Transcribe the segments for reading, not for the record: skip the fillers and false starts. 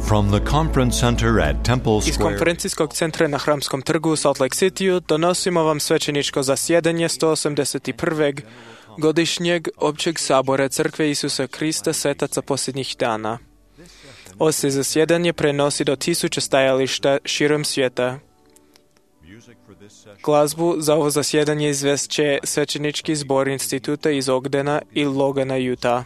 From the conference center at Temple Iz Square, konferencijskog centra na Hramskom trgu u Salt Lake Cityu donosimo vam svećeničko zasjedanje 181. godišnjeg općeg sabora Crkve Isusa Krista svetaca posljednjih dana. Ovo se zasjedanje prenosi do 1000 stajališta širom svijeta. Glazbu za ovo zasjedanje izvest će svećenički zbor instituta iz Ogdena i Logana, Utah.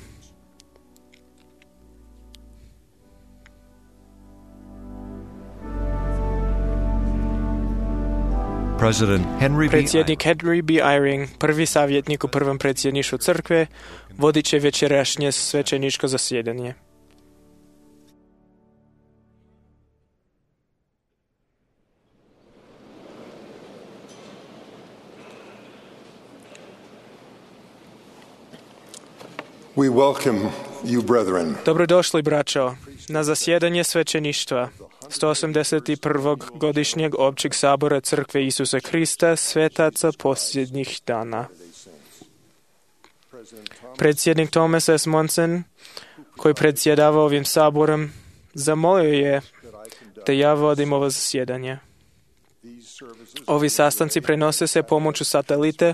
Predsjednik Henry B. Eyring, prvi savjetnik u prvom predsjedništvu crkve, vodit će večerašnje svećeničko zasjedanje. We welcome you, brethren. Dobrodošli, braćo, na zasjedanje svećeništva 181. godišnjeg općeg sabora Crkve Isusa Krista svetaca posljednjih dana. Predsjednik Thomas S. Monson, koji predsjedava ovim saborom, zamolio je da ja vodim ovo zasjedanje. Ovi sastanci prenose se pomoću satelite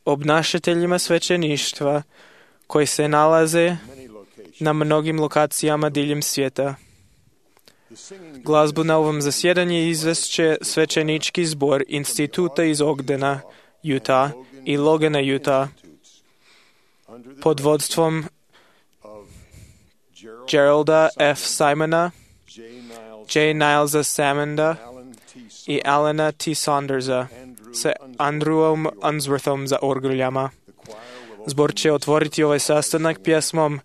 obnašateljima svećeništva koji se nalaze na mnogim lokacijama diljem svijeta. Glazbu na ovom zasjedanju izvest će svećenički zbor instituta iz Ogdena, Utah i Logana, Utah, pod vodstvom Geralda F. Simona, J. Nilesa Salmonda i Alana T. Saundersa sa Andrewom Unsworthom za orguljama. Zbor će otvoriti ovaj sastanak pjesmom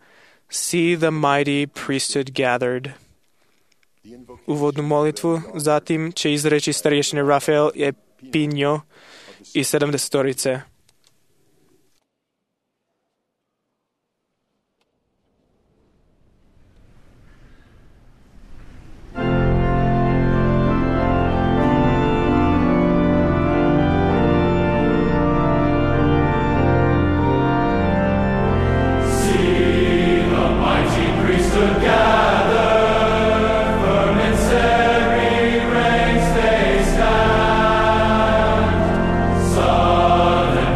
See the Mighty Priesthood Gathered. Uvodnu molitvu zatim će izreći starješine Rafael Epinjo i 70-torice. Son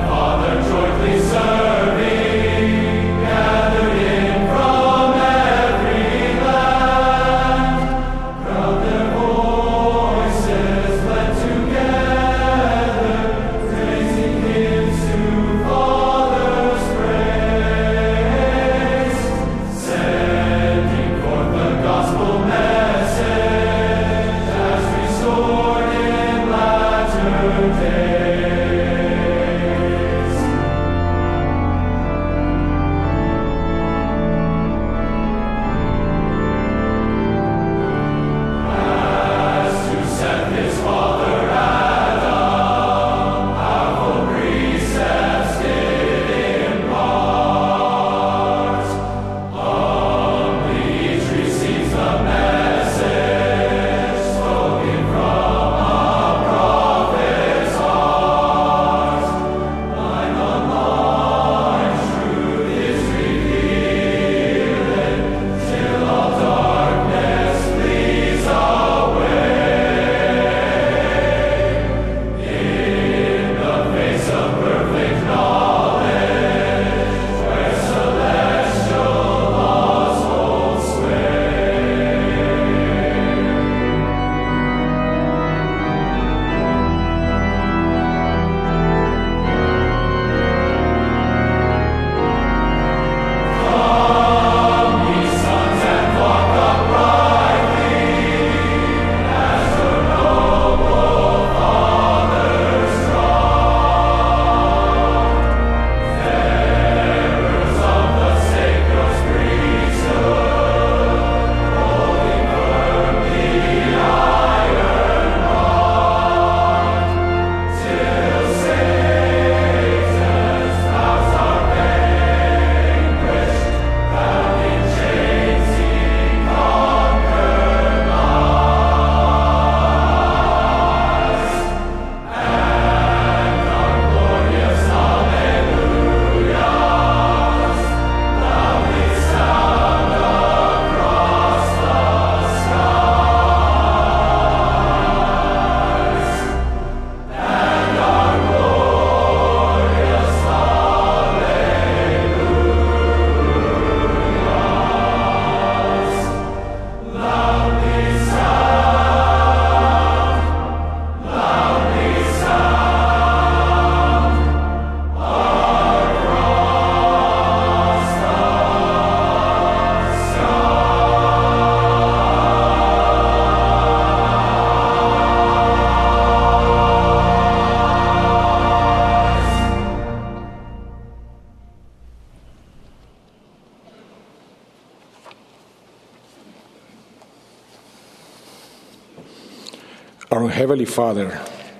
Our Heavenly Father,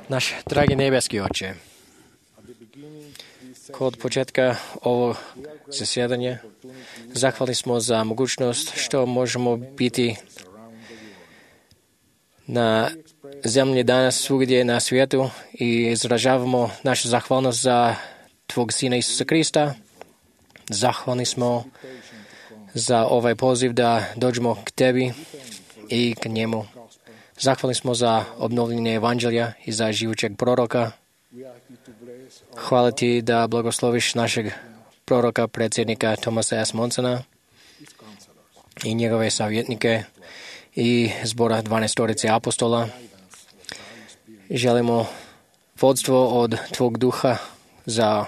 Naš dragi nebeski Oče, kod početka ovog zasjedanja zahvalni smo za mogućnost što možemo biti na zemlji danas svugdje na svijetu i izražavamo našu zahvalnost za Tvog Sina Isusa Krista. Zahvalni smo za ovaj poziv da dođemo k Tebi i k njemu. Zahvalni smo za obnovljenje evanđelja i za živućeg proroka. Hvala Ti da blagosloviš našeg proroka, predsjednika Thomasa S. Monsona i njegove savjetnike i zbora 12 apostola. Želimo vodstvo od Tvog duha za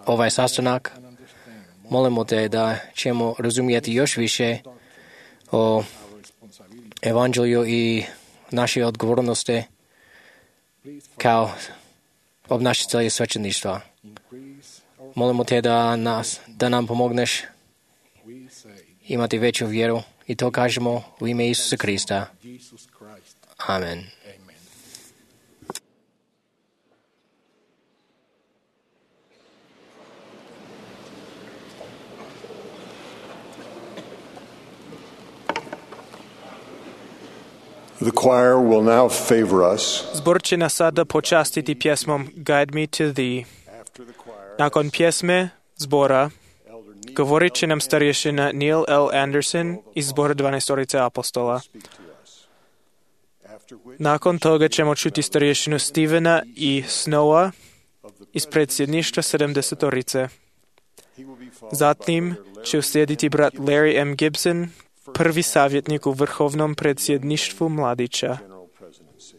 ovaj sastanak. Molimo Te da ćemo razumijeti još više o evanđelju i naše odgovornosti kao obnašatelji svećeništva. Molimo Te da nam pomogneš imati veću vjeru i to kažemo u ime Isusa Krista. Amen. The choir will now favor us. Zbor će nas sada počastiti pjesmom Guide Me to Thee. Nakon pjesme zbora govorit će nam starješina Neil L. Anderson iz zbora 12 apostola. Nakon toga ćemo čuti starješinu Stevena i Snowa iz predsjedništva 70. Zatim će uslijediti brat Larry M. Gibson, prvi savjetnik u vrhovnom predsjedništvu mladića. Guide me to Thee.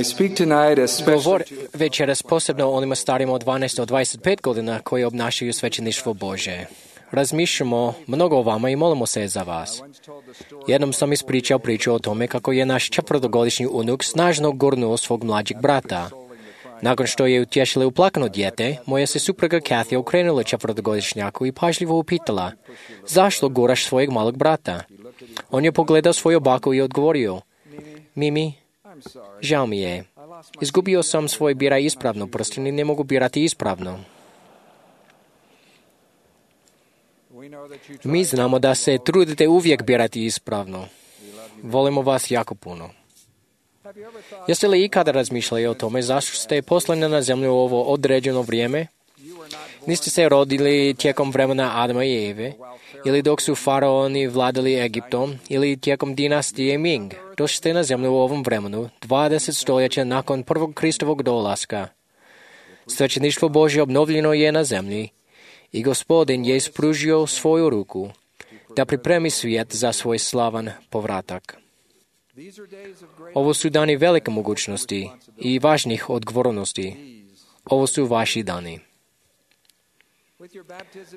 I speak tonight Govor especially to večeras posebno onima starima od 12 do 25 godina koji obnašaju svećeništvo Bože. Razmišljamo mnogo o vama i molimo se za vas. Jednom sam ispričao priču o tome kako je naš 4-godišnji unuk snažno gurnuo svog mlađeg brata. Nakon što je utješila uplakano dijete, moja se supruga Kathy okrenula 4-godišnjaku i pažljivo upitala: zašto guraš svojeg malog brata? On je pogledao svoju baku i odgovorio: Mimi, žao mi je. Izgubio sam svoj biraj ispravno prsten i ne mogu birati ispravno. Mi znamo da se trudite uvijek birati ispravno. Volimo vas jako puno. Jeste li ikada razmišljali o tome zašto ste poslani na zemlju u ovo određeno vrijeme? Niste se rodili tijekom vremena Adama i Eve, ili dok su faraoni vladali Egiptom, ili tijekom dinastije Ming. Došli ste na zemlju u ovom vremenu, 20 stoljeća nakon prvog Kristovog dolaska. Svećeništvo Božje obnovljeno je na zemlji i Gospodin je ispružio svoju ruku da pripremi svijet za svoj slavan povratak. Ovo su dani velike mogućnosti i važnih odgovornosti. Ovo su vaši dani.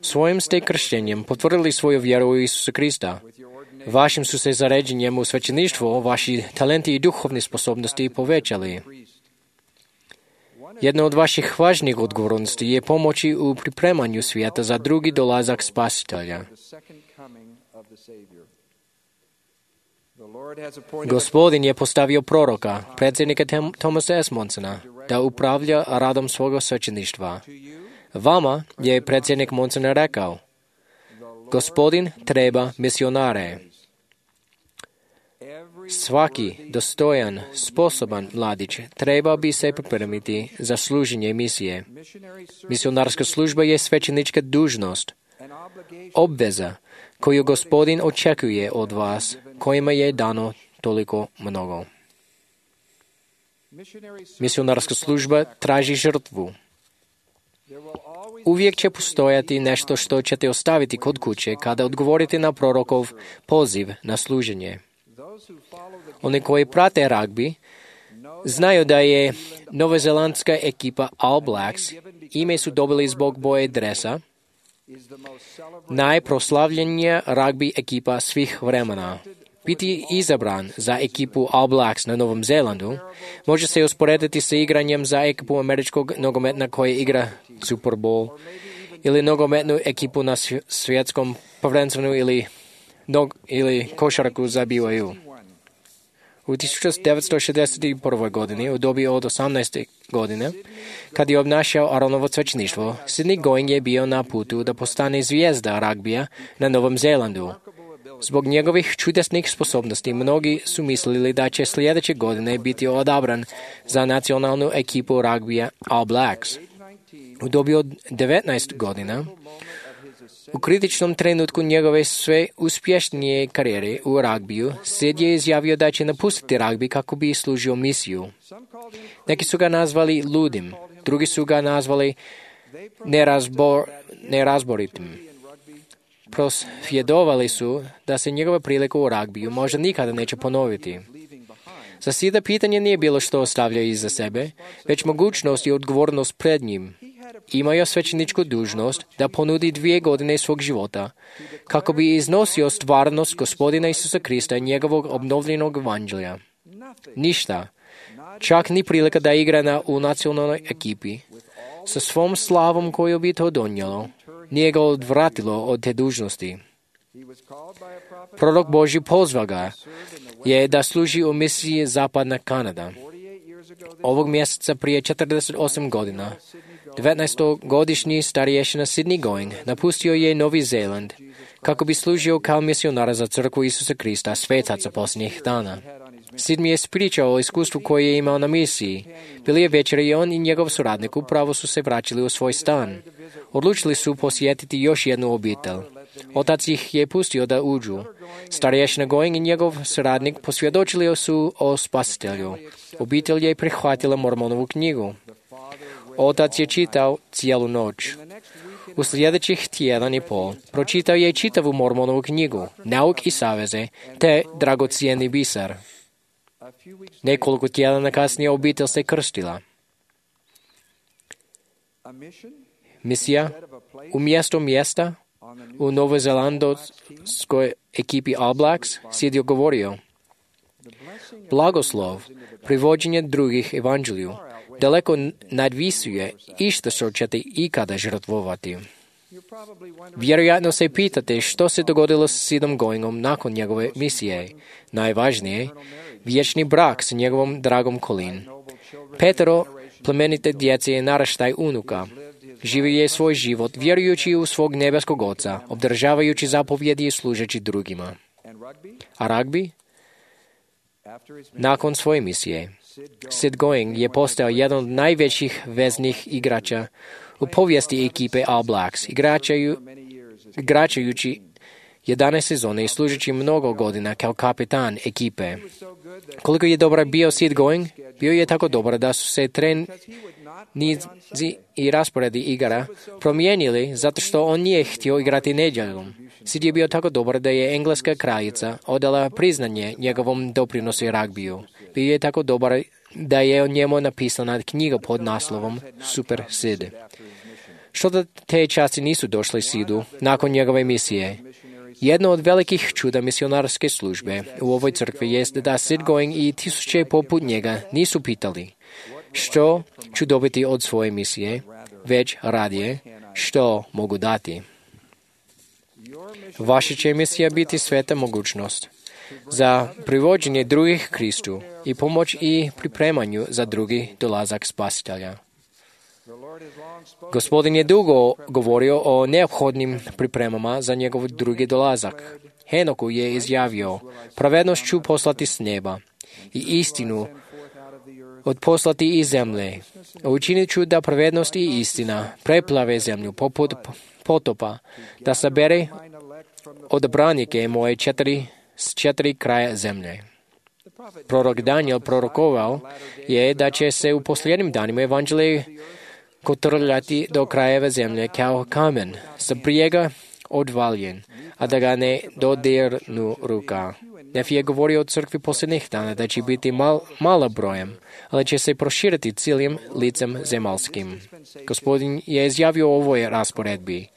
Svojim ste krštenjem potvrdili svoju vjeru u Isusa Krista. Vašim su se zaređenjem u svećeništvo vaši talenti i duhovne sposobnosti povećali. Jedna od vaših važnijih odgovornosti je pomoći u pripremanju svijeta za drugi dolazak Spasitelja. Gospodin je postavio proroka, predsjednika Thomasa S. Monsona, da upravlja radom svoga svećeništva. Vama je predsjednik Monson rekao: Gospodin treba misionare. Svaki dostojan, sposoban mladić treba bi se pripremiti za služenje misije. Misionarska služba je svećenička dužnost, obveza koju Gospodin očekuje od vas, kojima je dano toliko mnogo. Misionarska služba traži žrtvu. Uvijek će postojati nešto što ćete ostaviti kod kuće kada odgovorite na prorokov poziv na služenje. Oni koji prate ragbi znaju da je novozelandska ekipa All Blacks, ime su dobili zbog boje dresa, najproslavljenija ragbi ekipa svih vremena. Biti izabran za ekipu All Blacks na Novom Zelandu može se usporediti sa igranjem za ekipu američkog nogometa koja igra Super Bowl, ili nogometnu ekipu na svjetskom prvenstvenu ili košarku za BYU. U 1961. godini, u dobi od 18. godine, kad je obnašao Aronovo svećeništvo, Sidney Going je bio na putu da postane zvijezda ragbija na Novom Zelandu. Zbog njegovih čudesnih sposobnosti, mnogi su mislili da će sljedeće godine biti odabran za nacionalnu ekipu ragbija All Blacks. U dobi od 19 godina, u kritičnom trenutku njegove sve uspješnije karijere u ragbiju, Sid je izjavio da će napustiti ragbi kako bi služio misiju. Neki su ga nazvali ludim, drugi su ga nazvali nerazboritim. Prosvjedovali su da se njegova prilika u ragbiju možda nikada neće ponoviti. Za Sida pitanje nije bilo što ostavlja iza sebe, već mogućnost i odgovornost pred njim. Imao svećeničku dužnost da ponudi 2 godine svog života kako bi iznosio stvarnost Gospodina Isusa Krista i njegovog obnovljenog evanđelja. Ništa, čak ni prilika da igra u nacionalnoj ekipi, sa svom slavom koju bi to donijelo, nije ga odvratilo od te dužnosti. Prorok Božji pozvao ga je da služi u misiji Zapadna Kanada. Ovog mjeseca prije 48 godina, 19-godišnji starješina Sidney Going napustio je Novi Zeland kako bi služio kao misionar za crkvu Isusa Krista, svetaca posljednjih dana. Sid mi je ispričao o iskustvu koje je imao na misiji. Bili je večer i on i njegov suradnik upravo su se vraćali u svoj stan. Odlučili su posjetiti još jednu obitelj. Otac ih je pustio da uđu. Starješina Going i njegov suradnik posvjedočili su o Spasitelju. Obitelj je prihvatila Mormonovu knjigu. Otac je čitao cijelu noć. U sljedećih tjedan i pol pročitao je čitavu Mormonovu knjigu, Nauk i saveze, te Dragocijeni biser. Nekoliko tjedana kasnije obitelj se krstila. Misija umjesto mjesta u novozelandskoj ekipi All Blacks Sid je govorio: blagoslov, privođenje drugih evanđelju, daleko nadvisuje i što ćete ikada žrtvovati. Vjerojatno se pitate što se dogodilo s Sidom Goingom nakon njegove misije. Najvažnije, vječni brak s njegovom dragom Colleen. Petero plemenite djece je naraštaj unuka. Živio je svoj život vjerujući u svog nebeskog oca, obdržavajući zapovjedi i služeći drugima. A ragbi? Nakon svoje misije, Sid Going je postao jedan od najvećih veznih igrača u povijesti ekipe All Blacks, igračajući 11 sezone i služeći mnogo godina kao kapitan ekipe. Koliko je dobar bio Sid Going, bio je tako dobar da su se trenizi i rasporedi igara promijenili zato što on nije htio igrati nedjeljom. Sid je bio tako dobar da je engleska kraljica odala priznanje njegovom doprinosu i ragbiju. Bio je tako dobar da je o njemu napisana knjiga pod naslovom Super Sid. Što da te časti nisu došli Sidu nakon njegove misije? Jedno od velikih čuda misionarske službe u ovoj crkvi jest da Sid Going i tisuće poput njega nisu pitali što ću dobiti od svoje misije, već radije što mogu dati. Vaša će misija biti sveta mogućnost za privođenje drugih Kristu i pomoć i pripremanju za drugi dolazak Spasitelja. Gospodin je dugo govorio o neophodnim pripremama za njegov drugi dolazak. Henoku je izjavio: pravednost ću poslati s neba i istinu odposlati iz zemlje. Učinit ću da pravednost i istina preplave zemlju poput potopa, da sabere odabranike moje s četiri kraja zemlje. Prorok Daniel prorokovao je da će se u posljednjim danima evanđelje kotrljati do krajeva zemlje kao kamen, sa brijega odvaljen, a da ga ne dodirnu ruka. Nefi je govorio o crkvi posljednjih dana da će biti mala brojem, ali će se proširiti cijelim licem zemaljskim. Gospodin je izjavio o ovoj rasporedbi: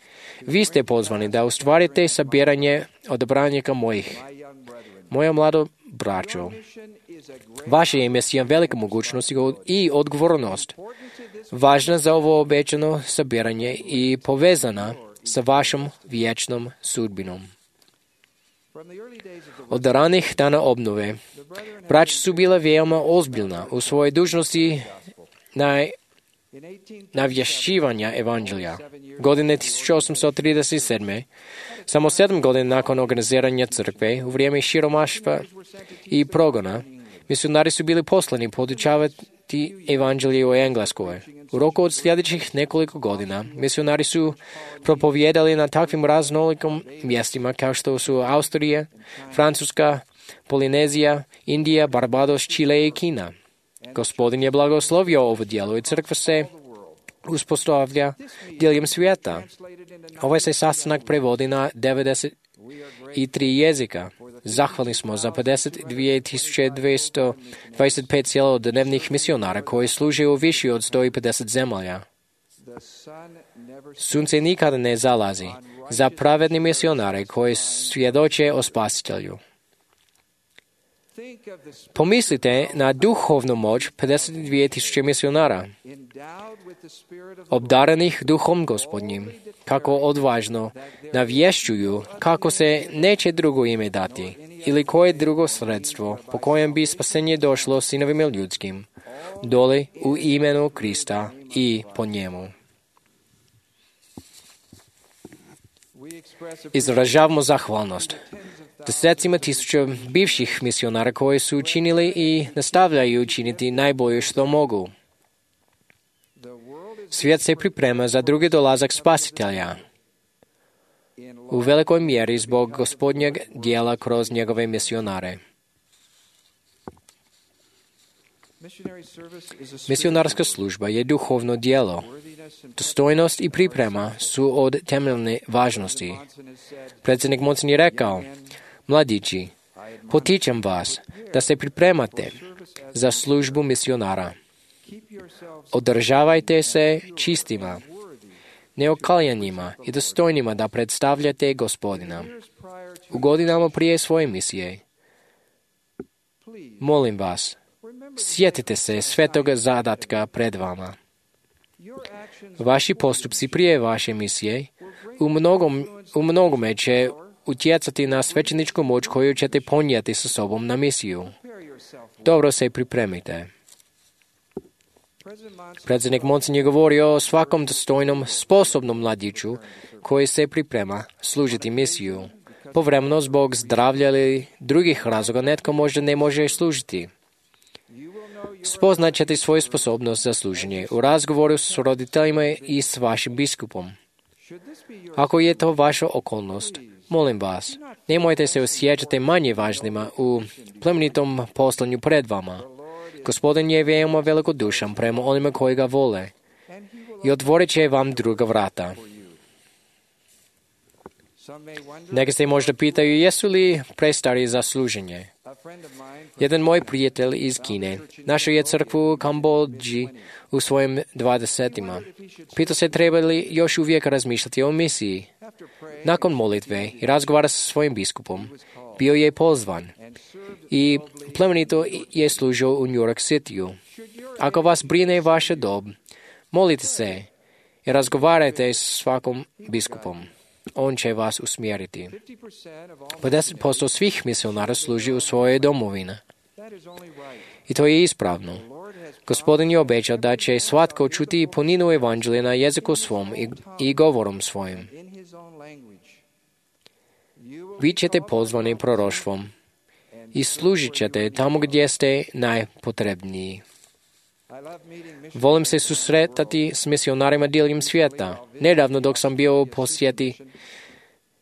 vi ste pozvani da ostvarite sabiranje odabranika mojih, moja mlado braćo. Vaša je misija velika mogućnost i odgovornost, važna za ovo obećano sabiranje i povezana sa vašom vječnom sudbinom. Od ranih dana obnove, braća su bila veoma ozbiljna u svojoj dužnosti navješćivanja evanđelja. Godine 1837. Samo 7 godina nakon organiziranja crkve, u vrijeme siromaštva i progona, misionari su bili poslani podučavati evanđelje u Engleskoj. U roku od sljedećih nekoliko godina, misionari su propovijedali na takvim raznolikim mjestima kao što su Austrija, Francuska, Polinezija, Indija, Barbados, Čile i Kina. Gospodin je blagoslovio ovo djelo i crkva se uspostavlja diljem svijeta. Ovaj se sastanak prevodi na 93 jezika. Zahvalni smo za 52.225 cjelodnevnih misionara koji služe u više od 150 zemalja. Sunce nikada ne zalazi za pravedni misionare koji svjedoče o Spasitelju. Pomislite na duhovnu moć 52.000 misionara, obdarenih duhom Gospodnjim, kako odvažno navješćuju kako se neće drugo ime dati ili koje drugo sredstvo po kojem bi spasenje došlo sinovima ljudskim, dole u imenu Krista i po njemu. Izražavamo zahvalnost desecima tisuća bivših misionara koji su učinili i nastavljaju učiniti najbolje što mogu. Svijet se priprema za drugi dolazak Spasitelja, u velikoj mjeri zbog Gospodnjeg djela kroz njegove misionare. Misionarska služba je duhovno djelo. Dostojnost i priprema su od temeljne važnosti. Predsjednik Monson je rekao: mladići, potičem vas da se pripremate za službu misionara. Održavajte se čistima, neokaljanima i dostojnima da predstavljate Gospodina. U godinama prije svoje misije, molim vas, sjetite se svetog zadatka pred vama. Vaši postupci prije vaše misije u mnogome će utjecati na svećeničku moć koju ćete ponijeti sa sobom na misiju. Dobro se pripremite. Predsjednik Monson je govorio o svakom dostojnom, sposobnom mladiću koji se priprema služiti misiju. Povremeno zbog zdravlja ili drugih razloga netko možda ne može služiti. Spoznat ćete svoju sposobnost za služenje u razgovoru s roditeljima i s vašim biskupom. Ako je to vaša okolnost, molim vas, nemojte se osjećati manje važnima u plemenitom poslanju pred vama. Gospodin je veoma velikodušan prema onima koji ga vole i otvorit će vam druga vrata. Neki se možda pitaju jesu li prestari za služenje. Jedan moj prijatelj iz Kine našao je crkvu u Kambodži u svojim 20-ima. Pitao se treba li još uvijek razmišljati o misiji. Nakon molitve i razgovara sa svojim biskupom, bio je pozvan i plemenito je služio u New York Cityu. Ako vas brine vaša dob, molite se i razgovarajte s svakom biskupom. On će vas usmjeriti. 50% svih misionara služi u svojoj domovini. I to je ispravno. Gospodin je obećao da će svatko čuti puninu evanđelja na jeziku svom i govorom svojim. Vi ćete pozvani proroštvom i služit ćete tamo gdje ste najpotrebniji. Volim se susretati s misionarima diljem svijeta. Nedavno dok sam bio u posjeti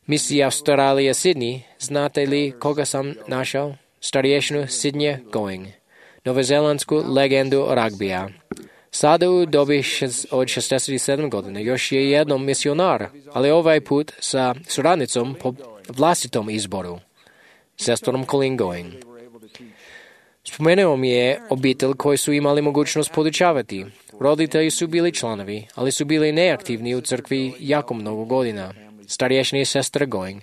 misiji Australije Sydney, znate li koga sam našao? Starješinu Sidney Going, novozelandsku legendu ragbija. Sada u dobi od 67 godina još je jednom misionar, ali ovaj put sa suradnicom po vlastitom izboru, sestrom Colleen Going. Spomenuo mi je obitelj koji su imali mogućnost podučavati. Roditelji su bili članovi, ali su bili neaktivni u crkvi jako mnogo godina. Starješina i sestra Going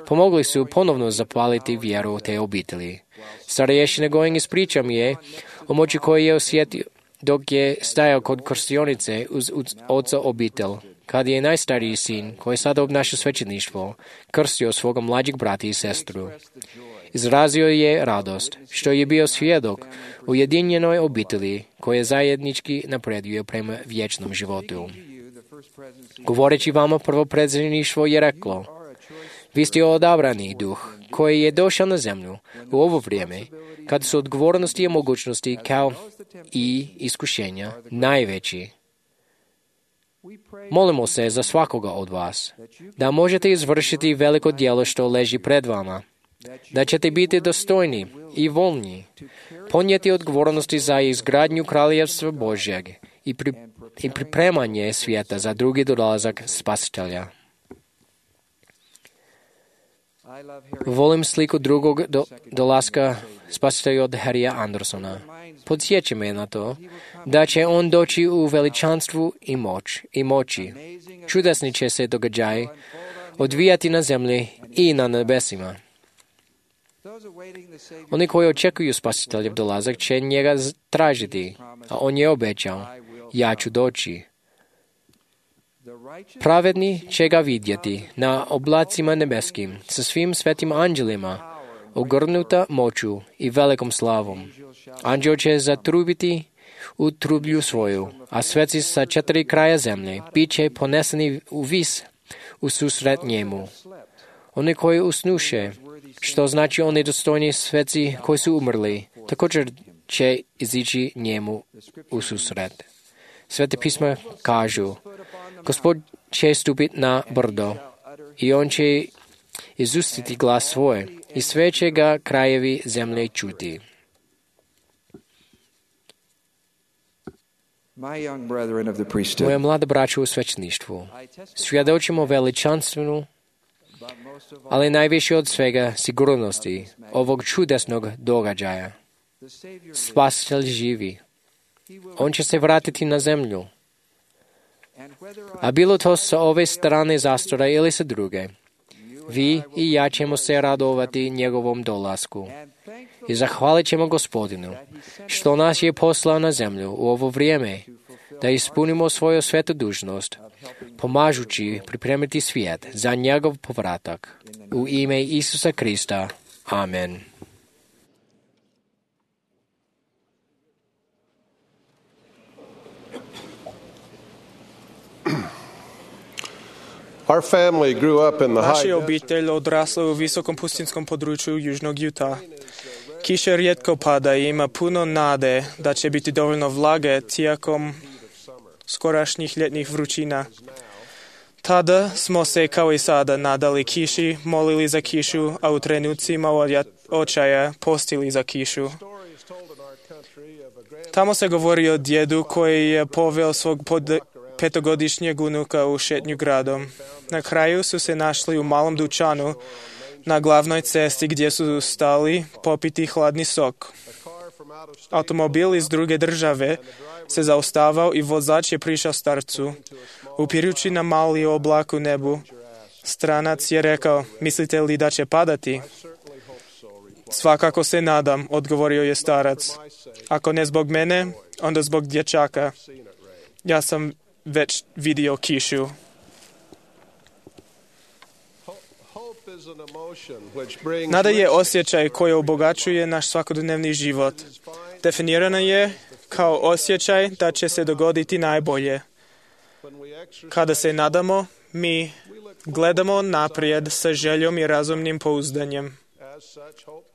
pomogli su ponovno zapaliti vjeru te obitelji. Starješina Going ispriča mi je o moći koju je osjetio dok je stajao kod krstionice uz oca obitelj, kad je najstariji sin, koji sada obnaša svećeništvo, krstio svoga mlađeg brata i sestru. Izrazio je radost što je bio svjedok ujedinjenoj obitelji koja zajednički napreduje prema vječnom životu. Govoreći vama, prvo predsjedništvo je reklo: vi ste odabrani duh koji je došao na zemlju u ovo vrijeme kad su odgovornosti i mogućnosti kao i iskušenja najveći. Molimo se za svakoga od vas da možete izvršiti veliko djelo što leži pred vama, da ćete biti dostojni i voljni, ponijeti odgovornosti za izgradnju kraljevstva Božjeg i pripremanje svijeta za drugi dolazak Spasitelja. Volim sliku drugog dolaska Spasitelja od Harrya Andersona. Podsjeća me na to da će on doći u veličanstvu i moći. Čudesni će se događaji odvijati na zemlji i na nebesima. Oni koji očekuju Spasiteljev dolazak će njega tražiti, a on je obećao: ja ću doći. Pravedni će ga vidjeti na oblacima nebeskim sa svim svetim anđelima, ogrnuta moću i velikom slavom. Anđel će zatrubiti u trublju svoju, a sveci sa 4 kraja zemlje bit će poneseni u vis u susret njemu. Oni koji usnuše, što znači oni dostojni sveci koji su umrli, također će izići njemu u susret. Svete pisma kažu: Gospod će stupiti na brdo i on će izustiti glas svoj i sve će ga krajevi zemlje čuti. Moja mlada braća u svećeništvu, svjedočimo veličanstvenu, ali najviše od svega sigurnosti ovog čudesnog događaja. Spasitelj živi. On će se vratiti na zemlju. A bilo to sa ove strane zastora ili sa druge, vi i ja ćemo se radovati njegovom dolasku. I zahvalit ćemo Gospodinu, što nas je poslao na zemlju u ovo vrijeme, da ispunimo svoju svetu dužnost, pomažući pripremiti svijet za njegov povratak. U ime Isusa Krista. Amen. Our family grew up in the high Naša obitelj odrasla u visokom pustinskom području južnog Utah. Kiša rijetko pada i ima puno nade da će biti dovoljno vlage tijekom skorašnjih ljetnih vrućina. Tada smo se, kao i sada, nadali kiši, molili za kišu, a u trenucima očaja postili za kišu. Tamo se govori o djedu koji je poveo svog petogodišnjeg unuka u šetnju gradom. Na kraju su se našli u malom dućanu na glavnoj cesti gdje su stali popiti hladni sok. Automobil iz druge države se zaustavao i vozač je prišao starcu. Upirući na mali oblak u nebu, stranac je rekao, mislite li da će padati? Svakako se nadam, odgovorio je starac. Ako ne zbog mene, onda zbog dječaka. Ja sam već vidio kišu. Nada je osjećaj koji obogaćuje naš svakodnevni život. Definirana je kao osjećaj da će se dogoditi najbolje. Kada se nadamo, mi gledamo naprijed sa željom i razumnim pouzdanjem.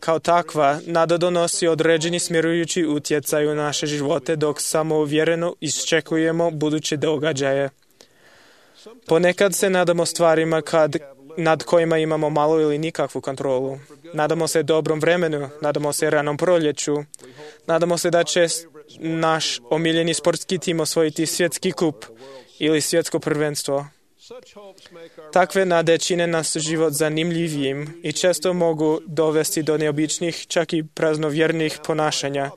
Kao takva, nada donosi određeni smjerujući utjecaj u naše živote dok samouvjereno iščekujemo buduće događaje. Ponekad se nadamo stvarima nad kojima imamo malo ili nikakvu kontrolu. Nadamo se dobrom vremenu, nadamo se ranom proljeću, nadamo se da će naš omiljeni sportski tim osvojiti svjetski kup ili svjetsko prvenstvo. Takve nade čine nas život zanimljivijim i često mogu dovesti do neobičnih, čak i praznovjernih ponašanja.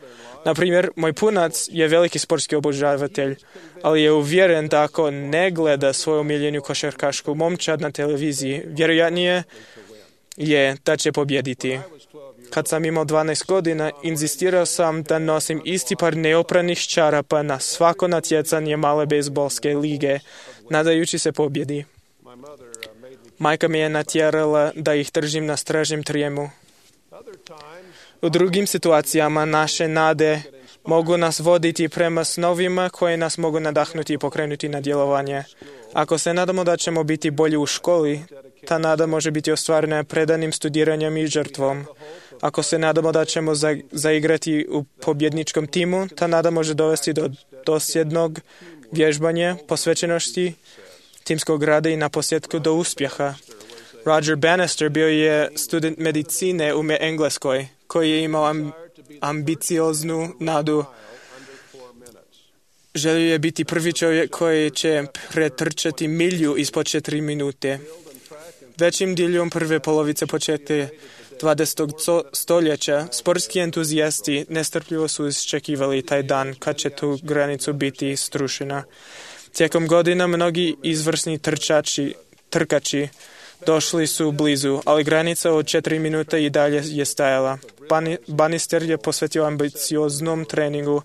Na primjer, moj punac je veliki sportski obožavatelj, ali je uvjeren da ako ne gleda svoju omiljenu košarkašku momčad na televiziji, vjerojatnije je da će pobijediti. Kad sam imao 12 godina, inzistirao sam da nosim isti par neopranih čarapa na svako natjecanje male bejzbolske lige, nadajući se pobjedi. Majka mi je natjerala da ih držim na stražnjem trijemu. U drugim situacijama naše nade mogu nas voditi prema snovima koje nas mogu nadahnuti i pokrenuti na djelovanje. Ako se nadamo da ćemo biti bolji u školi, ta nada može biti ostvarena predanim studiranjem i žrtvom. Ako se nadamo da ćemo zaigrati u pobjedničkom timu, ta nada može dovesti do dosljednog vježbanja, posvećenosti, timskog rada i naposljetku do uspjeha. Roger Bannister bio je student medicine u Engleskoj, koji je imao ambicioznu nadu. Želio je biti prvi čovjek koji će pretrčati milju ispod 4 minute. Većim dijelom prve polovice početka 20. stoljeća sportski entuzijasti nestrpljivo su iščekivali taj dan kad će tu granicu biti strušena. Tijekom godina mnogi izvrsni trkači došli su blizu, ali granica od 4 minute i dalje je stajala. Bannister je posvetio ambicioznom treningu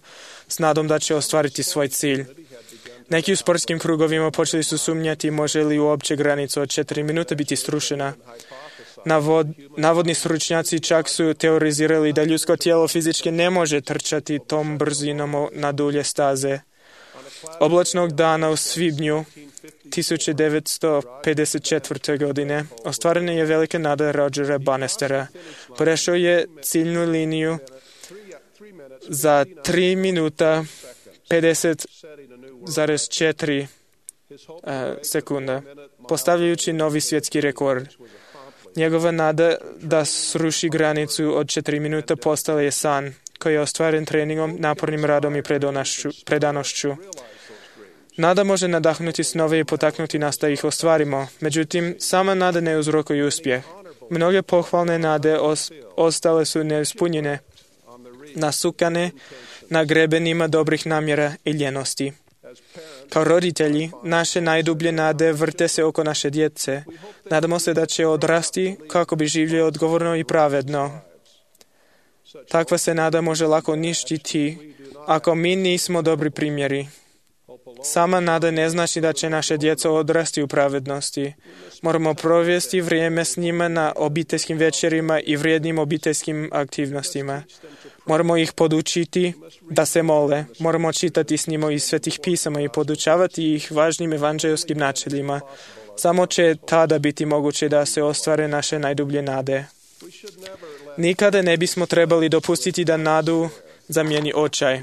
s nadom da će ostvariti svoj cilj. Neki u sportskim krugovima počeli su sumnjati može li uopće granica od 4 minute biti strušena. Navodni stručnjaci čak su teorizirali da ljudsko tijelo fizički ne može trčati tom brzinom na dulje staze. Oblačnog dana u svibnju 1954. godine ostvarena je velika nada Rogera Bannistera. Prešao je ciljnu liniju za 3 minuta 50,4 sekunda, postavljajući novi svjetski rekord. Njegova nada da sruši granicu od 4 minuta postala je san koji je ostvaren treningom, napornim radom i predanošću. Nada može nadahnuti snove i potaknuti nas da ih ostvarimo. Međutim, sama nada ne uzrokuje uspjeh. Mnoge pohvalne nade ostale su neispunjene. nasukane na grebenima dobrih namjera i ljenosti. Kao roditelji, naše najdublje nade vrte se oko naše djece. Nadamo se da će odrasti kako bi živjeli odgovorno i pravedno. Takva se nada može lako uništiti ako mi nismo dobri primjeri. Sama nada ne znači da će naše djeca odrasti u pravednosti. Moramo provesti vrijeme s njima na obiteljskim večerima i vrijednim obiteljskim aktivnostima. Moramo ih podučiti da se mole. Moramo čitati s njima iz svetih pisama i podučavati ih važnim evanđeljskim načelima. Samo će tada biti moguće da se ostvare naše najdublje nade. Nikada ne bismo trebali dopustiti da nadu zamijeni očaj.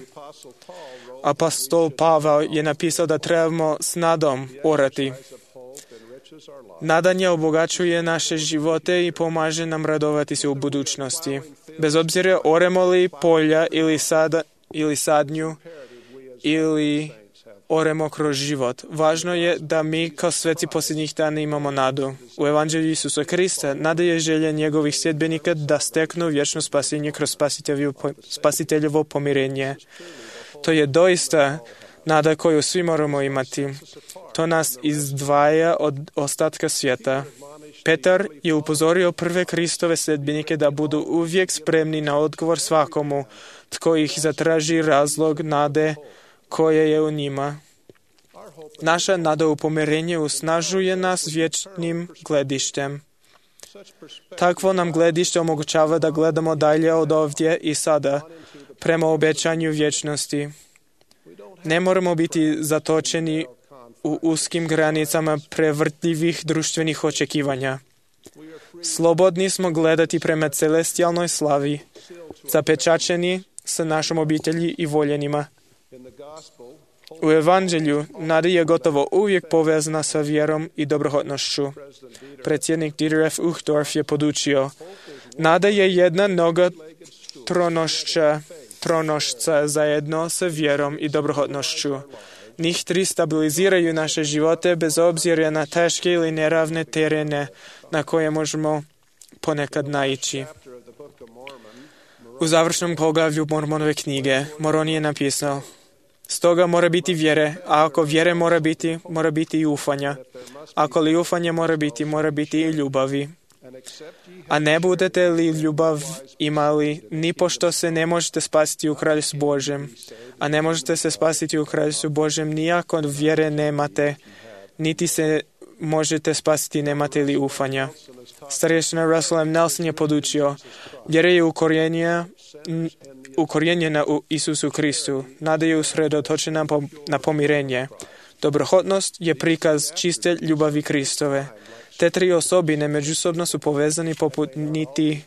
Apostol Pavao je napisao da trebamo s nadom orati. Nadanje obogaćuje naše živote i pomaže nam radovati se u budućnosti. Bez obzira oremo li polja ili sadnju ili oremo kroz život. Važno je da mi kao sveci posljednjih dana imamo nadu. U Evanđelju Isusa Krista nada je želja njegovih sljedbenika da steknu vječno spasenje kroz spasiteljevo pomirenje. To je doista nada koju svi moramo imati. To nas izdvaja od ostatka svijeta. Petar je upozorio prve Kristove sljedbenike da budu uvijek spremni na odgovor svakomu tko ih zatraži razlog nade koje je u njima. Naša nada u pomirenje usnažuje nas vječnim gledištem. Takvo nam gledište omogućava da gledamo dalje od ovdje i sada, prema obećanju vječnosti. Ne moramo biti zatočeni u uskim granicama prevrtljivih društvenih očekivanja. Slobodni smo gledati prema celestijalnoj slavi, zapečačeni sa našom obitelji i voljenima. U Evanđelju nada je gotovo uvijek povezana sa vjerom i dobrohotnošću. Predsjednik Dieter F. Uchtdorf je podučio: nada je jedna noga tronošca zajedno sa vjerom i dobrohotnošću. Njih tri stabiliziraju naše živote bez obzira na teške ili neravne terene na koje možemo ponekad naići. U završnom poglavlju Mormonove knjige Moron je napisao: stoga mora biti vjere, a ako vjere mora biti i ufanja. Ako li ufanje mora biti i ljubavi. A ne budete li ljubav imali, nipošto se ne možete spasiti u Kraljestvu Božjem. A ne možete se spasiti u Kraljestvu Božjem ni ako vjere nemate, niti se možete spasiti nemate li ufanja. Starješina Russell M. Nelson je podučio: vjera je ukorijenjena u Isusu Kristu. Nada je usredotočena na pomirenje. Dobrohotnost je prikaz čiste ljubavi Kristove. Te tri osobine međusobno su povezani poput niti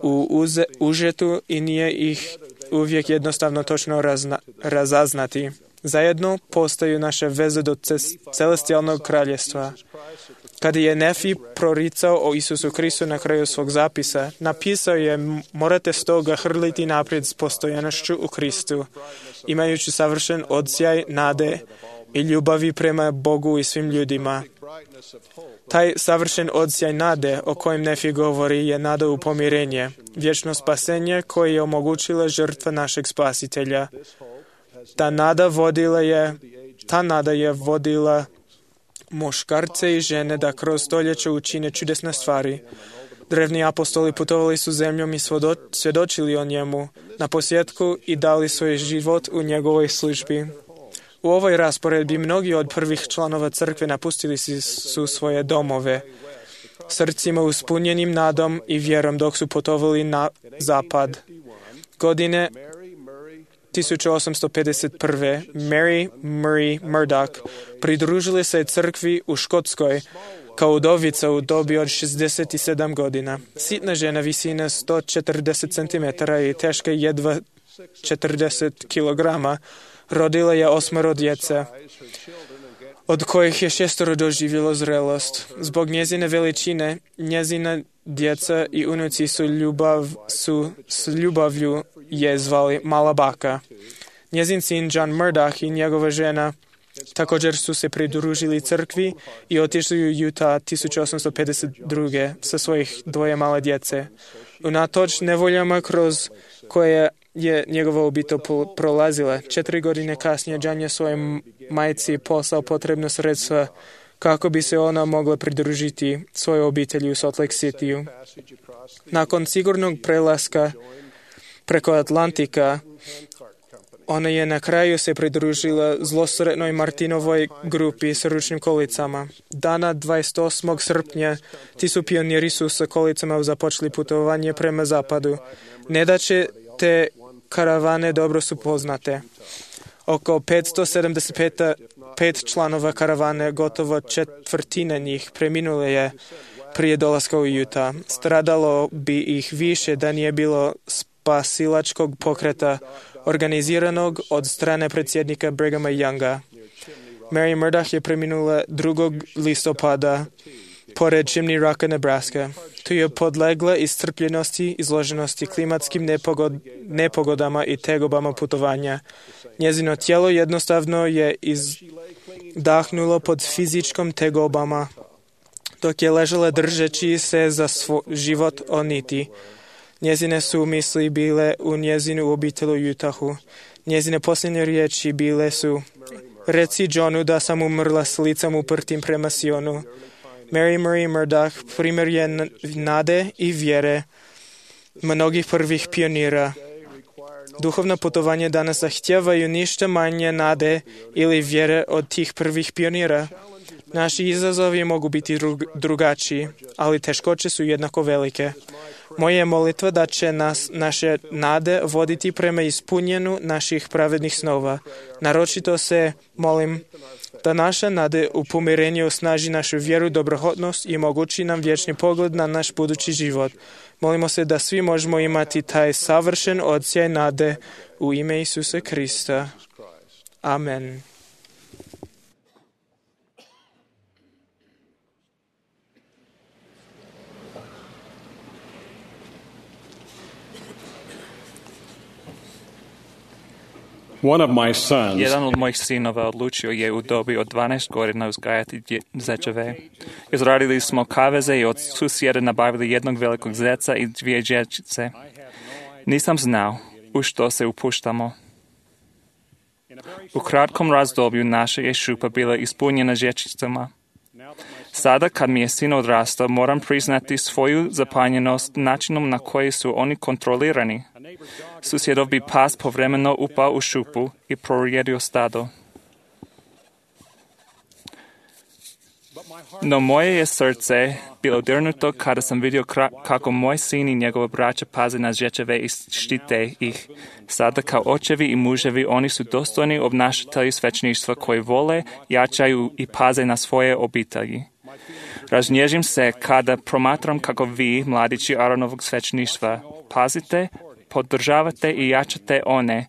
u užetu i nije ih uvijek jednostavno točno razaznati. Zajedno postaju naše veze do celestijalnog kraljestva. Kada je Nefi proricao o Isusu Kristu na kraju svog zapisa, napisao je: morate stoga hrliti naprijed s postojanošću u Kristu, imajući savršen odsjaj nade i ljubavi prema Bogu i svim ljudima. Taj savršen odsjaj nade o kojem Nefi govori je nada u pomirenje, vječno spasenje koje je omogućila žrtva našeg spasitelja. Ta nada je vodila muškarce i žene da kroz stoljeće učine čudesne stvari. Drevni apostoli putovali su zemljom i svjedočili o njemu, na posljetku i dali svoj život u njegovoj službi. U ovoj rasporedbi mnogi od prvih članova crkve napustili su svoje domove, srcima uspunjenim nadom i vjerom dok su putovali na zapad. Godine 1851. Mary Murray Murdoch pridružili se crkvi u Škotskoj kao udovica u dobi od 67 godina. Sitna žena visine 140 cm i teška jedva 40 kg. Rodila je 8 djece, od kojih je 6 doživjelo zrelost. Zbog njezine veličine, njezina djeca i unuci s ljubavlju je zvali Mala baka. Njezin sin John Murdoch i njegova žena također su se pridružili crkvi i otišli u Utah 1852. sa svojih 2 male djece. Unatoč nevoljama kroz koje je njegova obitelj prolazila. 4 godine kasnije John je svojoj majci poslao potrebno sredstva kako bi se ona mogla pridružiti svojoj obitelji u Salt Lake City-u. Nakon sigurnog prelaska preko Atlantika, ona je na kraju se pridružila zlosretnoj Martinovoj grupi s ručnim kolicama. Dana 28. srpnja ti su pioniri su sa kolicama započeli putovanje prema zapadu. Nedaće te karavane dobro su poznate. Oko 575 članova karavane, gotovo četvrtina njih preminule je prije dolaska u Utah. Stradalo bi ih više da nije bilo spasilačkog pokreta organiziranog od strane predsjednika Brighama Younga. Mary Murdoch je preminula 2. listopada pored Chimney Rocka, Nebraska. Tu je podlegla iscrpljenosti, izloženosti klimatskim nepogodama i tegobama putovanja. Njezino tijelo jednostavno je izdahnulo pod fizičkom tegobama, dok je ležala držeći se za život o niti. Njezine su misli bile u njezinu obitelju u Utahu. Njezine posljednje riječi bile su: reci Johnu da sam umrla s licem uprtim prema Sionu. Mary Marie Murdoch primjer je nade i vjere mnogih prvih pionira. Duhovna putovanja danas zahtijevaju ništa manje nade ili vjere od tih prvih pionira. Naši izazovi mogu biti drugačiji, ali teškoće su jednako velike. Moja je molitva da će nas naše nade voditi prema ispunjenju naših pravednih snova. Naročito se molim da naša nade u pomirenju osnaži našu vjeru, dobrohotnost i omogući nam vječni pogled na naš budući život. Molimo se da svi možemo imati taj savršen odsjaj nade u ime Isusa Krista. Amen. Jedan od mojih sinova odlučio je u dobi od 12 godina uzgajati zečeve. Izradili smo kaveze i od susjeda nabavili jednog velikog zeca i 2 dječjice. Nisam znao u što se upuštamo. U kratkom razdoblju naša je šupa bila ispunjena dječjicama. Sada kad mi je sin odrastao, moram priznati svoju zapanjenost načinom na koji su oni kontrolirani. Susjedov bi pas povremeno upao u šupu i prorijedio stado. No moje je srce bilo dirnuto kada sam vidio kako moj sin i njegova braća paze na žečeve i štite ih. Sada kao očevi i muževi oni su dostojni obnašatelji svećništva koji vole, jačaju i paze na svoje obitelji. Raznježim se kada promatram kako vi, mladići Aaronovog svećništva, pazite, podržavate i jačate one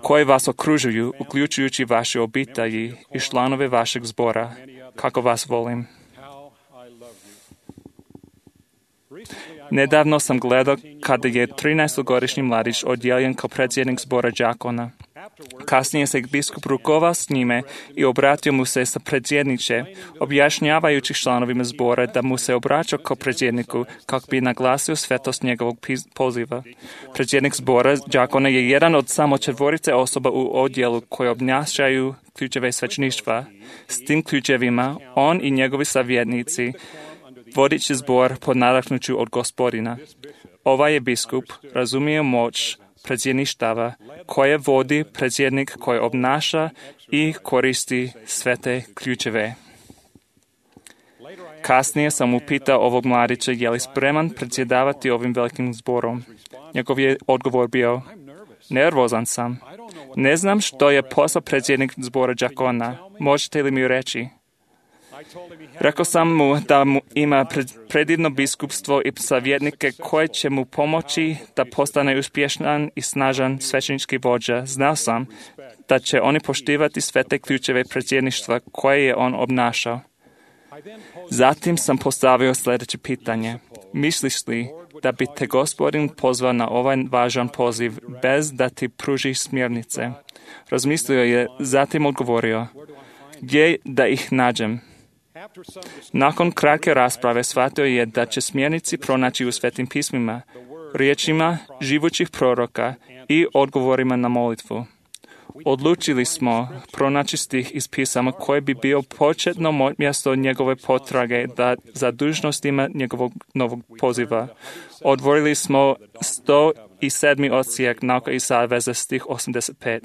koji vas okružuju, uključujući vaše obitelji i članove vašeg zbora, kako vas volim. Nedavno sam gledao kada je 13-godišnji mladić odjeljen kao predsjednik zbora đakona. Kasnije se biskup rukovao s njime i obratio mu se sa predsjedniče, objašnjavajući članovima zbora da mu se obraćao kao predsjedniku kako bi naglasio svetost njegovog poziva. Predsjednik zbora đakona je jedan od samo 4 osoba u odjelu koji obnašaju ključeve svećništva. S tim ključevima on i njegovi savjetnici vodići zbor pod nadahnuću od Gospodina. Ovaj je biskup razumio moć predsjedništava koje vodi predsjednik koji obnaša i koristi sve te ključeve. Kasnije sam upitao ovog mladića je li spreman predsjedavati ovim velikim zborom. Njegov je odgovor bio: nervozan sam. Ne znam što je posao predsjednik zbora đakona. Možete li mi reći? Rekao sam mu da ima predivno biskupstvo i savjetnike koje će mu pomoći da postane uspješan i snažan svećenički vođa. Znao sam da će oni poštivati sve te ključeve predsjedništva koje je on obnašao. Zatim sam postavio sljedeće pitanje. Misliš li da bi te Gospodin pozvao na ovaj važan poziv bez da ti pruži smjernice? Razmislio je, zatim odgovorio: gdje da ih nađem? Nakon kratke rasprave shvatio je da će smjernici pronaći u Svetim pismima, riječima živućih proroka i odgovorima na molitvu. Odlučili smo pronaći stih iz pisama koji bi bio početno mjesto njegove potrage za dužnostima njegovog novog poziva. Otvorili smo 107. odsjek Nauka i saveza, stih 85.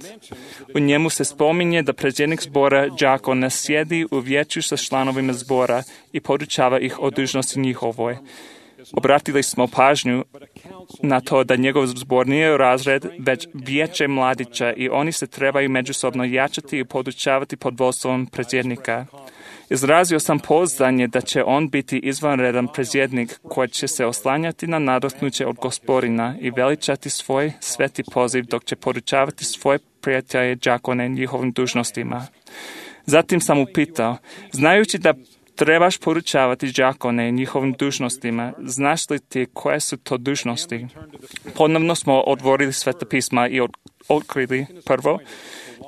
U njemu se spominje da predsjednik zbora đakona sjedi u vijeću sa članovima zbora i podučava ih o dužnosti njihovoj. Obratili smo pažnju na to da njegov zbor nije razred, već vijeće mladića i oni se trebaju međusobno jačati i podučavati pod vodstvom predsjednika. Izrazio sam pouzdanje da će on biti izvanredan predsjednik koji će se oslanjati na nadahnuće od Gospodina i veličati svoj sveti poziv dok će podučavati svoje prijatelje đakone njihovim dužnostima. Zatim sam upitao, znajući da trebaš podučavati đakone njihovim dužnostima, znaš li ti koje su to dužnosti? Ponovno smo otvorili Sveta pisma i otkrili prvo.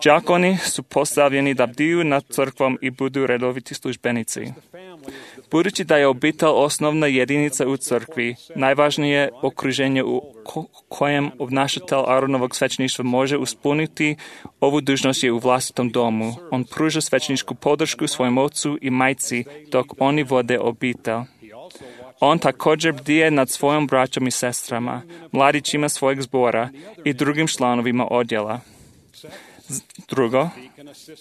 Đakoni su postavljeni da bdiju nad crkvom i budu redoviti službenici. Budući da je obitelj osnovna jedinica u crkvi, najvažnije okruženje u kojem obnašatelj Aronovog svećeništva može ispuniti ovu dužnost je u vlastitom domu. On pruža svećeničku podršku svojom ocu i majci dok oni vode obitelj. On također bdije nad svojom braćom i sestrama, mladićima svojeg zbora i drugim članovima odjela. Drugo,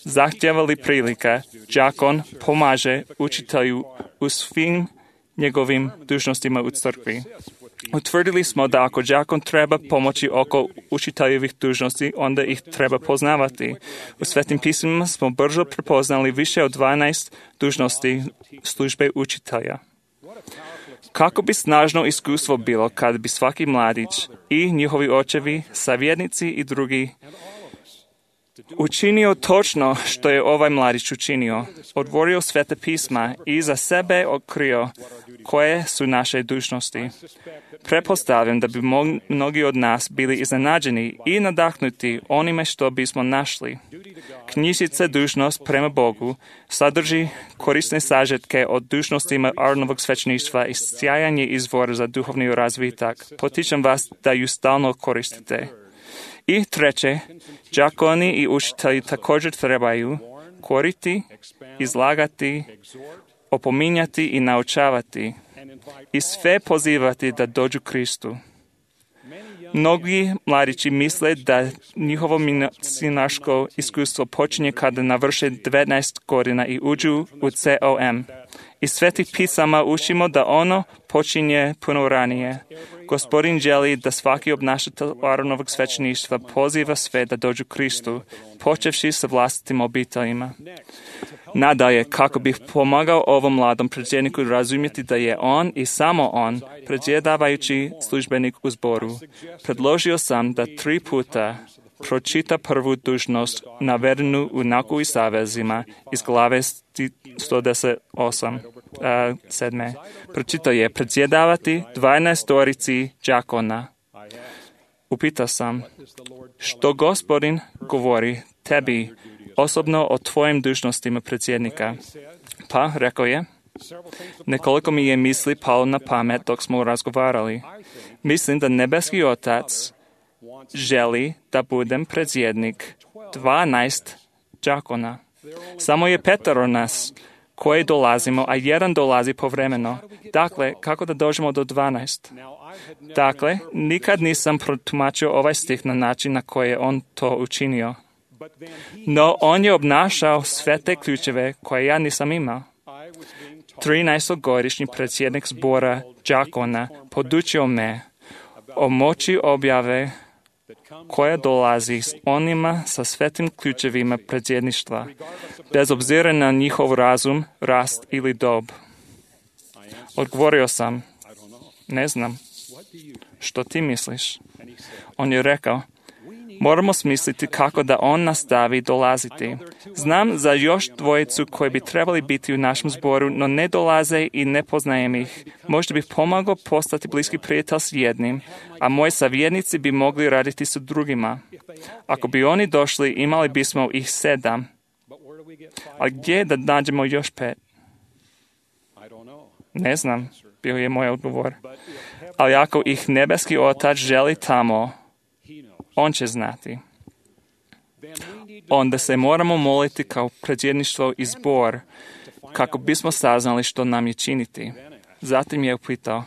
zahtjeva li prilika, đakon pomaže učitelju u svim njegovim dužnostima u crkvi. Utvrdili smo da ako đakon treba pomoći oko učiteljevih dužnosti, onda ih treba poznavati. U Svetim pismima smo brzo prepoznali više od 12 dužnosti službe učitelja. Kako bi snažno iskustvo bilo kad bi svaki mladić i njihovi očevi, savjetnici i drugi učinio točno što je ovaj mladić učinio, otvorio Sveta pisma i za sebe otkrio koje su naše dužnosti. Pretpostavljam da bi mnogi od nas bili iznenađeni i nadahnuti onime što bismo našli. Knjižica Dužnost prema Bogu sadrži korisne sažetke od dužnostima Aronovog svećeništva i sjajan je izvor za duhovni razvitak. Potičem vas da ju stalno koristite. I treće, đakoni i učitelji također trebaju koriti, izlagati, opominjati i naučavati i sve pozivati da dođu Kristu. Mnogi mladići misle da njihovo misionarsko iskustvo počinje kada navrše 19 godina i uđu u COM. Iz Svetih pisama učimo da ono počinje puno ranije. Gospodin želi da svaki obnašatelj Aronovog svećeništva poziva sve da dođu Kristu, počevši sa vlastitim obiteljima. Nadalje, kako bih pomagao ovom mladom predsjedniku razumjeti da je on i samo on predsjedavajući službenik u zboru, predložio sam da 3 puta pročita prvu dužnost navedenu u Nauku i savezima iz glave 118. Pročitao je predsjedavati 12 đakona. Upitao sam, što Gospodin govori tebi osobno o tvojim dužnostima predsjednika? Pa, rekao je, nekoliko mi je misli palo na pamet dok smo razgovarali. Mislim da nebeski Otac želi da budem predsjednik 12 đakona. Samo je 5 nas koji dolazimo, a 1 dolazi povremeno. Dakle, kako da dođemo do 12? Dakle, nikad nisam protumačio ovaj stih na način na koji je on to učinio. No, on je obnašao sve te ključeve koje ja nisam imao. 13-godišnji predsjednik zbora đakona podučio me o moći objave koja dolazi s onima sa svetim ključevima predsjedništva, bez obzira na njihov razum, rast ili dob. Odgovorio sam, ne znam, što ti misliš? On je rekao, moramo smisliti kako da on nastavi dolaziti. Znam za još 2 koji bi trebali biti u našem zboru, no ne dolaze i ne poznajem ih. Možda bih pomagao postati bliski prijatelj s jednim, a moji savjetnici bi mogli raditi s drugima. Ako bi oni došli, imali bismo ih 7. A gdje da nađemo još 5? Ne znam, bio je moj odgovor. Ali ako ih nebeski Otac želi tamo, On će znati. Onda se moramo moliti kao predsjedništvo i zbor kako bismo saznali što nam je činiti. Zatim je upitao,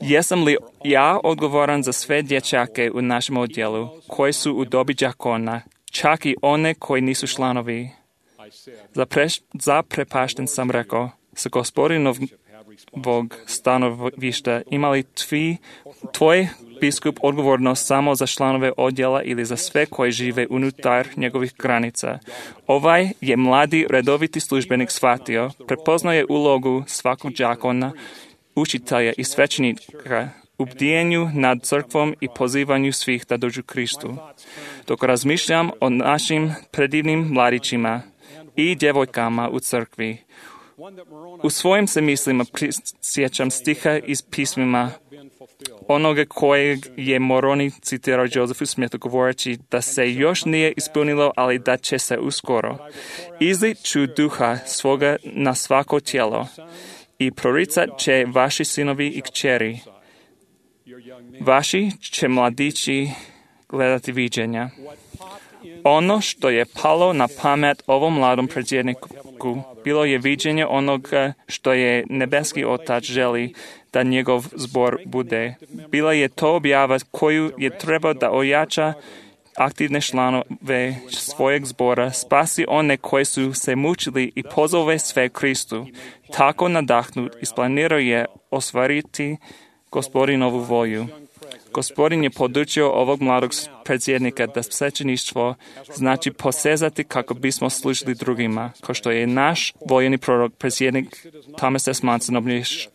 jesam li ja odgovoran za sve dječake u našem odjelu koji su u dobi đakona, čak i one koji nisu članovi? Zaprepašten sam rekao, sa Gospodinovog stanovišta ima li tvoj biskup odgovornost samo za članove odjela ili za sve koji žive unutar njegovih granica? Ovaj je mladi redoviti službenik shvatio, prepoznaje ulogu svakog đakona, učitelja i svećenika u bdijenju nad crkvom i pozivanju svih da dođu Kristu. Dok razmišljam o našim predivnim mladićima i djevojkama u crkvi, u svojim se mislima prisjećam stiha iz pismima onoga kojeg je Moroni citirao Josephu Smithu govoreći da se još nije ispunilo, ali da će se uskoro. Izlit ću duha svoga na svako tijelo i proricat će vaši sinovi i kćeri. Vaši će mladići gledati viđenja. Ono što je palo na pamet ovom mladom predsjedniku bilo je viđenje onoga što je nebeski Otac želi da njegov zbor bude. Bila je to objava koju je trebao da ojača aktivne članove svojeg zbora, spasi one koji su se mučili i pozove sve Kristu. Tako nadahnut isplanirao je ostvariti Gospodinovu volju. Gospodin je podučio ovog mladog predsjednika da svećeništvo znači posezati kako bismo služili drugima, kao što je naš vojni prorok predsjednik Thomas S. Monson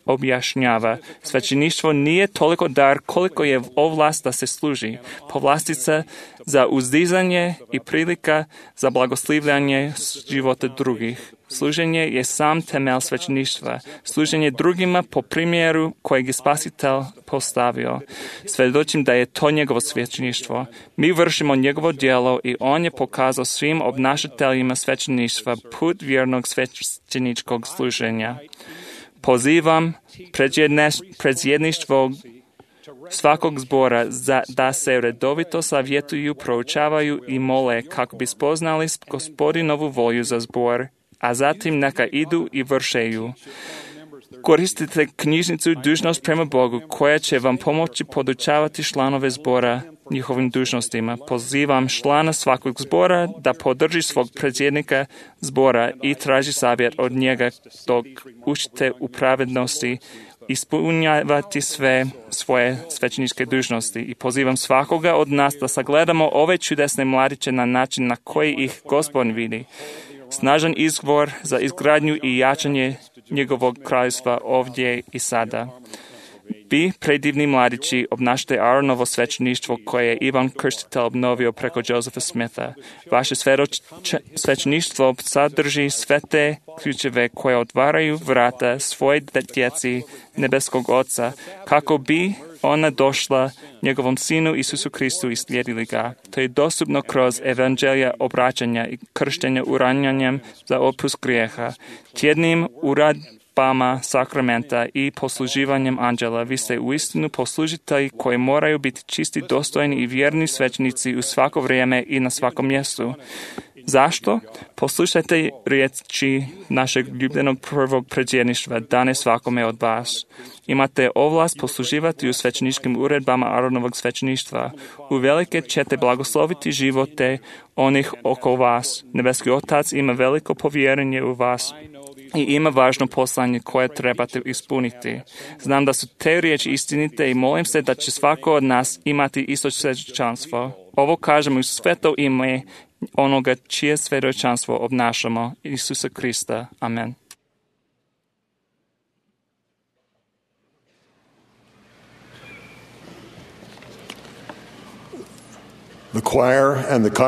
objašnjava. Svećeništvo nije toliko dar koliko je ovlast da se služi, povlastica za uzdizanje i prilika za blagoslivljanje života drugih. Služenje je sam temelj svećeništva. Služenje drugima po primjeru kojeg je Spasitelj postavio. Svjedočim da je to njegovo svećeništvo. Mi vršimo njegovo djelo i on je pokazao svim obnašateljima svećeništva put vjernog svećeničkog služenja. Pozivam predsjedništvo svakog zbora da se redovito savjetuju, proučavaju i mole kako bi spoznali Gospodinovu volju za zbor, a zatim neka idu i vršeju. Koristite knjižnicu Dužnost prema Bogu koja će vam pomoći podučavati članove zbora njihovim dužnostima. Pozivam člana svakog zbora da podrži svog predsjednika zbora i traži savjet od njega dok učite u pravednosti ispunjavati sve svoje svećeničke dužnosti. I pozivam svakoga od nas da sagledamo ove čudesne mladiće na način na koji ih Gospodin vidi. Snažan izvor za izgradnju i jačanje njegovog kraljevstva ovdje i sada. Vi, predivni mladići, obnašate Aaronovo svećeništvo koje je Ivan Krstitelj obnovio preko Josepha Smitha. Vaše svećeništvo sadrži sve te ključeve koje otvaraju vrata svoje djeci nebeskog Oca, kako bi ona došla njegovom Sinu Isusu Kristu i slijedili ga. To je dostupno kroz evanđelja obraćanja i krštenja uranjanjem za otpust grijeha, tjednim uradbama sakramenta i posluživanjem anđela. Vi ste uistinu poslužitelji koji moraju biti čisti, dostojni i vjerni svećenici u svako vrijeme i na svakom mjestu. Zašto? Poslušajte riječi našeg ljubljenog prvog predsjedništva, dane svakome od vas. Imate ovlast posluživati u svećeničkim uredbama Aaronovog svećeništva. Uvelike ćete blagosloviti živote onih oko vas. Nebeski Otac ima veliko povjerenje u vas i ima važno poslanje koje trebate ispuniti. Znam da su te riječi istinite i molim se da će svako od nas imati isto svjedočanstvo. Ovo kažemo u sveto ime onoga čije svjedočanstvo obnašamo, Isusa Krista. Amen.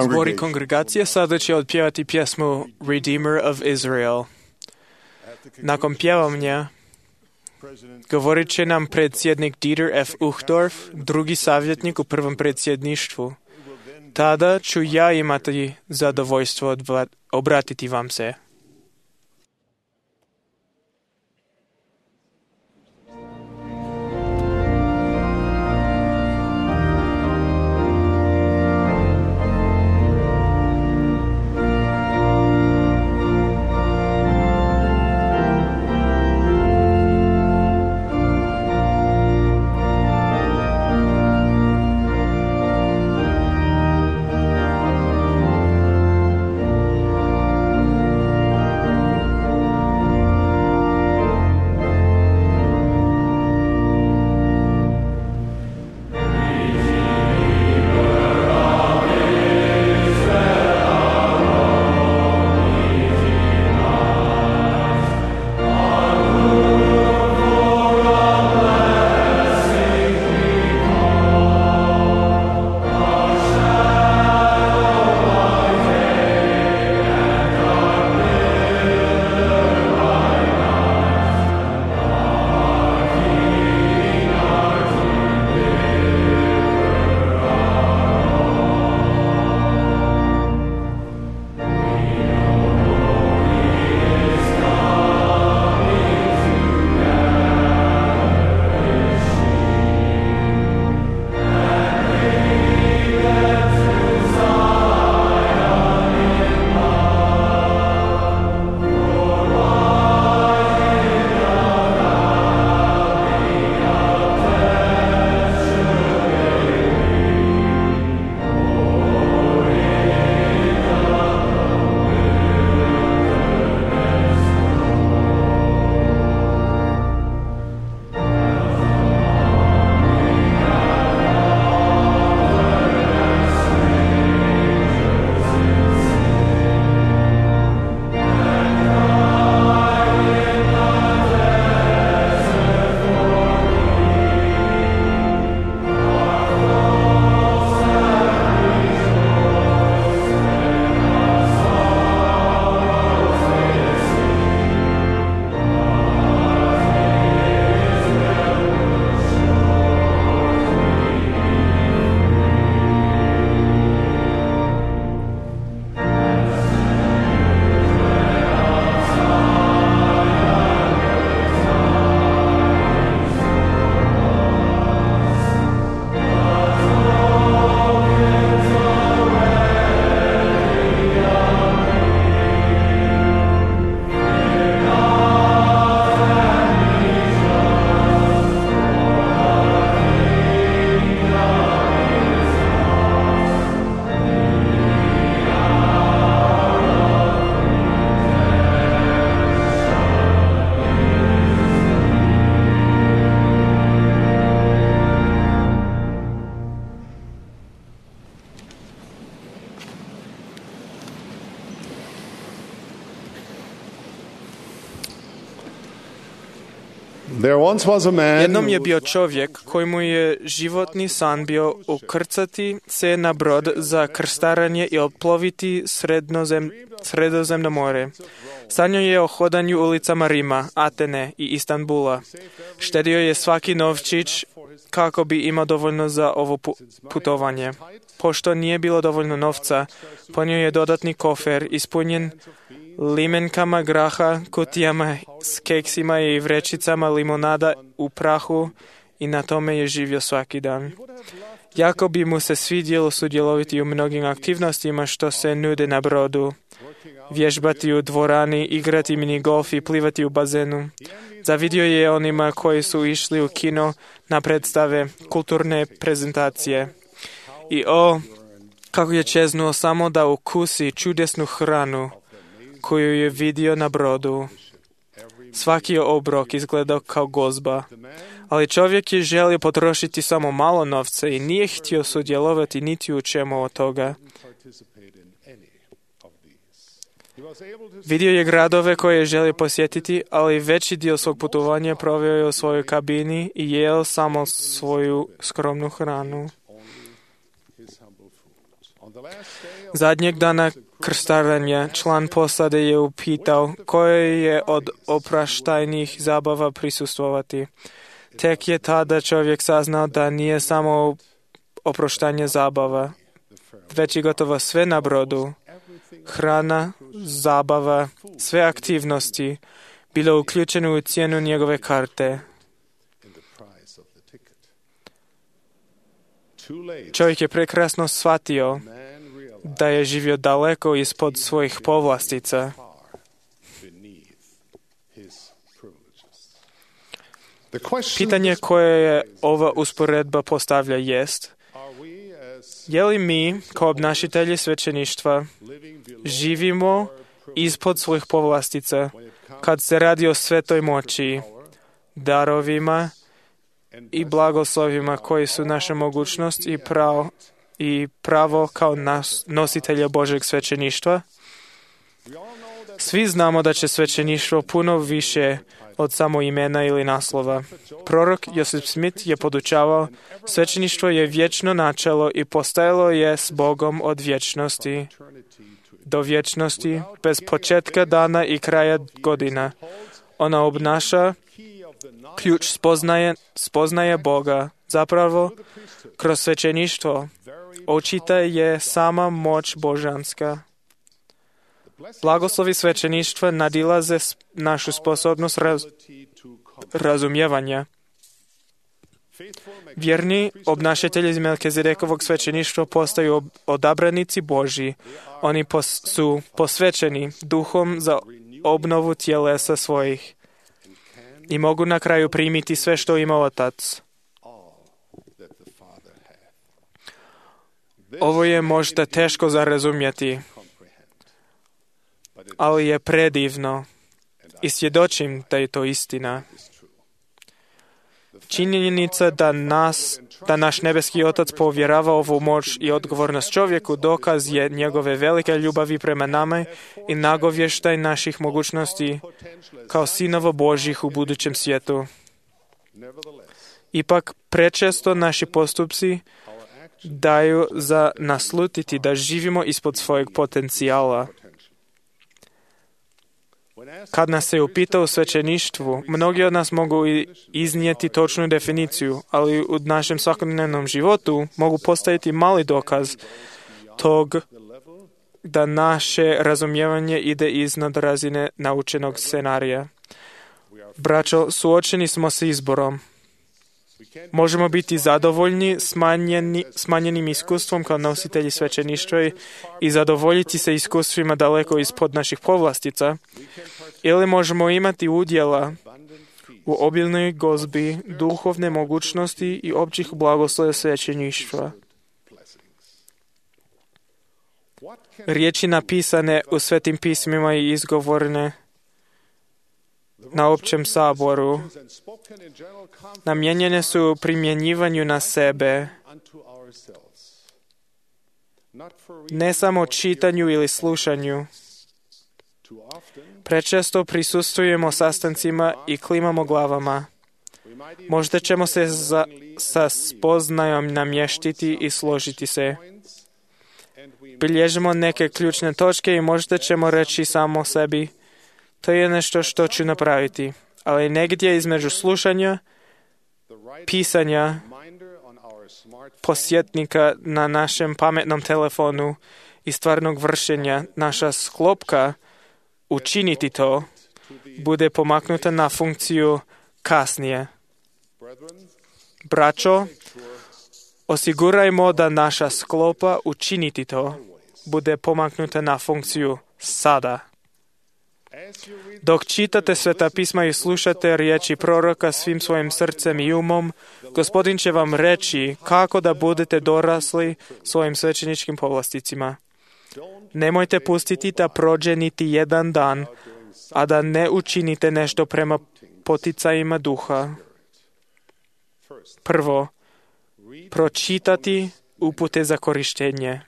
Zbor i kongregacija sada će odpjevati pjesmu Redeemer of Israel. Nakon pjevanja govorit će nam predsjednik Dieter F. Uchtdorf, drugi savjetnik u prvom predsjedništvu. Tada ću ja imati zadovoljstvo obratiti vam se. There once was a man Jednom je bio čovjek kojemu je životni san bio ukrcati se na brod za krstarenje i oploviti Sredozemno more. Sanjao je o hodanju ulicama Rima, Atene i Istanbula. Štedio je svaki novčić kako bi imao dovoljno za ovo putovanje. Pošto nije bilo dovoljno novca, ponio je dodatni kofer ispunjen limenkama graha, kutijama s keksima i vrećicama limonada u prahu i na tome je živio svaki dan. Jako bi mu se svidjelo sudjelovati u mnogim aktivnostima što se nude na brodu. Vježbati u dvorani, igrati minigolf i plivati u bazenu. Zavidio je onima koji su išli u kino na predstave, kulturne prezentacije. I kako je čeznuo samo da ukusi čudesnu hranu koju je vidio na brodu. Svaki je obrok izgledao kao gozba, ali čovjek je želio potrošiti samo malo novca i nije htio sudjelovati niti u čemu od toga. Vidio je gradove koje je želio posjetiti, ali veći dio svog putovanja proveo je u svojoj kabini i jeo samo svoju skromnu hranu. Zadnjeg dana krstarenja član posade je upitao koje je od opraštajnih zabava prisustvovati. Tek je tada čovjek saznao da nije samo oproštanje zabava, već i gotovo sve na brodu. Hrana, zabava, sve aktivnosti bilo uključeno u cijenu njegove karte. Čovjek je prekrasno shvatio da je živio daleko ispod svojih povlastica. Pitanje koje je ova usporedba postavlja jest: je li mi, kao obnašitelji svećeništva, živimo ispod svojih povlastica kad se radi o svetoj moći, darovima i blagoslovima koji su naša mogućnost i pravo kao nositelja Božeg svećeništva? Svi znamo da će svećeništvo puno više od samo imena ili naslova. Prorok Joseph Smith je podučavao: svećeništvo je vječno načelo i postojalo je s Bogom od vječnosti do vječnosti, bez početka dana i kraja godina. Ona obnaša ključ spoznaje Boga. Zapravo, kroz svećeništvo očita je sama moć božanska. Blagoslovi svećeništva nadilaze našu sposobnost razumijevanja. Vjerni obnašatelji iz Melkizedekovog svećeništva postaju odabranici Božji. Oni su posvećeni duhom za obnovu tjelesa svojih i mogu na kraju primiti sve što ima Otac. Ovo je možda teško za razumjeti, ali je predivno i svjedočim da je to istina. Činjenica da naš nebeski Otac povjerava ovu moć i odgovornost čovjeku dokaz je njegove velike ljubavi prema nama i nagovještaj naših mogućnosti kao sinova Božjih u budućem svijetu. Ipak prečesto naši postupci daju za naslutiti da živimo ispod svojeg potencijala. Kad nas se upita u svećeništvu, mnogi od nas mogu iznijeti točnu definiciju, ali u našem svakodnevnom životu mogu postaviti mali dokaz tog da naše razumijevanje ide iznad razine naučenog scenarija. Braćo, suočeni smo s izborom. Možemo biti zadovoljni smanjenim iskustvom kao nositelji svećeništva i zadovoljiti se iskustvima daleko ispod naših povlastica, ili možemo imati udjela u obilnoj gozbi, duhovne mogućnosti i općih blagoslova svećeništva. Riječi napisane u svetim pismima i izgovorene na općem saboru namijenjene su primjenjivanju na sebe, ne samo čitanju ili slušanju. Prečesto prisustvujemo sastancima i klimamo glavama. Možda ćemo se sa spoznajom namještiti i složiti se. Bilježimo neke ključne točke i možda ćemo reći samo sebi, to je nešto što ću napraviti. Ali negdje između slušanja, pisanja, posjetnika na našem pametnom telefonu i stvarnog vršenja, naša sklopka učiniti to bude pomaknuta na funkciju kasnije. Braćo, osigurajmo da naša sklopa učiniti to bude pomaknuta na funkciju sada. Dok čitate Sveta pisma i slušate riječi proroka svim svojim srcem i umom, Gospodin će vam reći kako da budete dorasli svojim svećeničkim povlasticima. Nemojte pustiti da prođe niti jedan dan, a da ne učinite nešto prema poticajima duha. Prvo, pročitati upute za korištenje.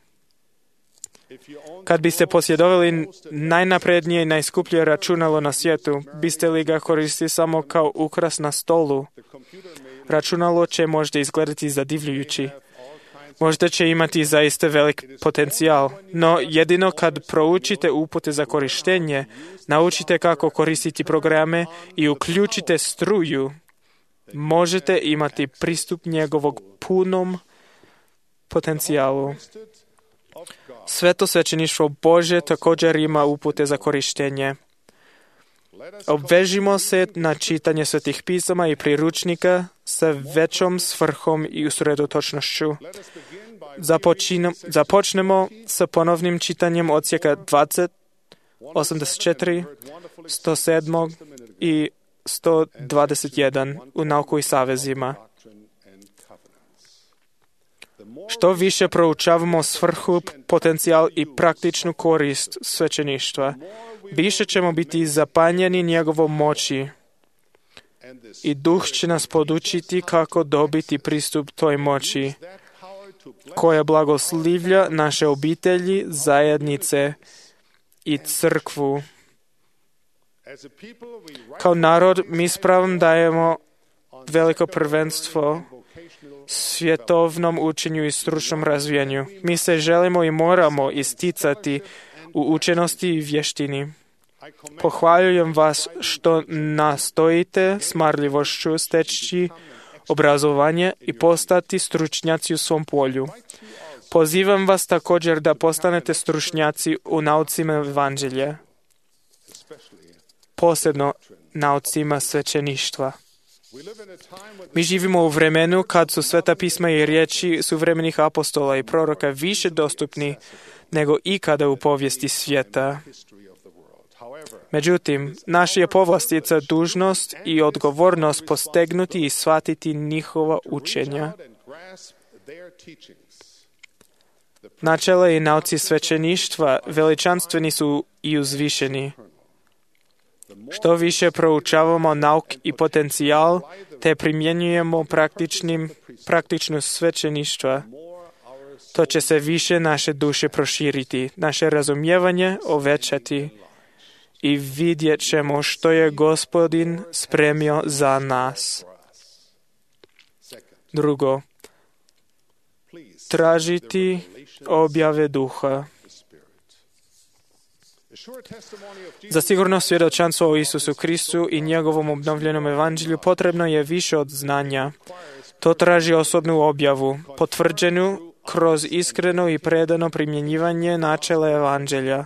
Kad biste posjedovali najnaprednije i najskuplje računalo na svijetu, biste li ga koristili samo kao ukras na stolu? Računalo će možda izgledati zadivljujući. Možda će imati zaista velik potencijal, no jedino kad proučite upute za korištenje, naučite kako koristiti programe i uključite struju, možete imati pristup njegovog punom potencijalu. Sveto svećeništvo Božje također ima upute za korištenje. Obvežimo se na čitanje svetih pisama i priručnika sa većom svrhom i usredotočnošću. Započnemo sa ponovnim čitanjem odsjeka 20, 84, 107 i 121 u Nauku i savezima. Što više proučavamo svrhu, potencijal i praktičnu korist svećeništva, više ćemo biti zapanjeni njegovom moći i Duh će nas podučiti kako dobiti pristup toj moći, koja blagoslivlja naše obitelji, zajednice i crkvu. Kao narod mi s pravom dajemo veliko prvenstvo svjetovnom učenju i stručnom razvijanju. Mi se želimo i moramo isticati u učenosti i vještini. Pohvaljujem vas što nastojite s marljivošću steći obrazovanje i postati stručnjaci u svom polju. Pozivam vas također da postanete stručnjaci u naucima evanđelja, posebno naucima svećeništva. Mi živimo u vremenu kad su Sveta pisma i riječi suvremenih apostola i proroka više dostupni nego ikada u povijesti svijeta. Međutim, naša je povlastica dužnost i odgovornost postegnuti i shvatiti njihova učenja. Načela i nauci svećeništva veličanstveni su i uzvišeni. Što više proučavamo nauk i potencijal, te primjenjujemo praktično svećeništva, to će se više naše duše proširiti, naše razumijevanje ovećati i vidjet ćemo što je Gospodin spremio za nas. Drugo, tražiti objave duha. Za sigurno svjedočanstvo o Isusu Kristu i njegovom obnovljenom evanđelju potrebno je više od znanja. To traži osobnu objavu, potvrđenu kroz iskreno i predano primjenjivanje načela evanđelja.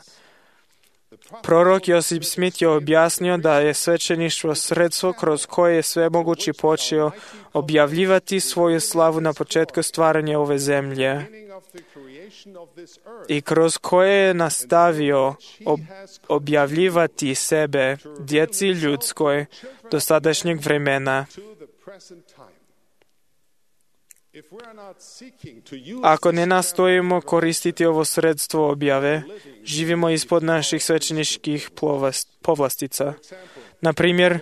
Prorok Josip Smith je objasnio da je svećeništvo sredstvo kroz koje je Svemogući počeo objavljivati svoju slavu na početku stvaranja ove zemlje i kroz koje je nastavio objavljivati sebe djeci ljudskoj do sadašnjeg vremena. Ako ne nastojimo koristiti ovo sredstvo objave, živimo ispod naših svećeničkih povlastica. Na primjer,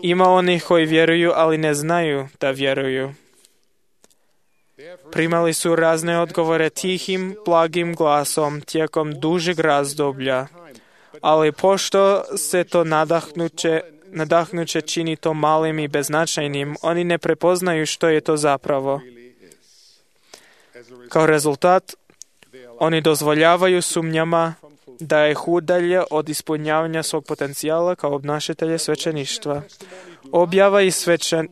ima onih koji vjeruju, ali ne znaju da vjeruju. Primali su razne odgovore tihim, blagim glasom tijekom dužeg razdoblja, ali pošto se to nadahnuće čini to malim i beznačajnim, oni ne prepoznaju što je to zapravo. Kao rezultat, oni dozvoljavaju sumnjama da ih udalje od ispunjavanja svog potencijala kao obnašatelje svećeništva. Objava i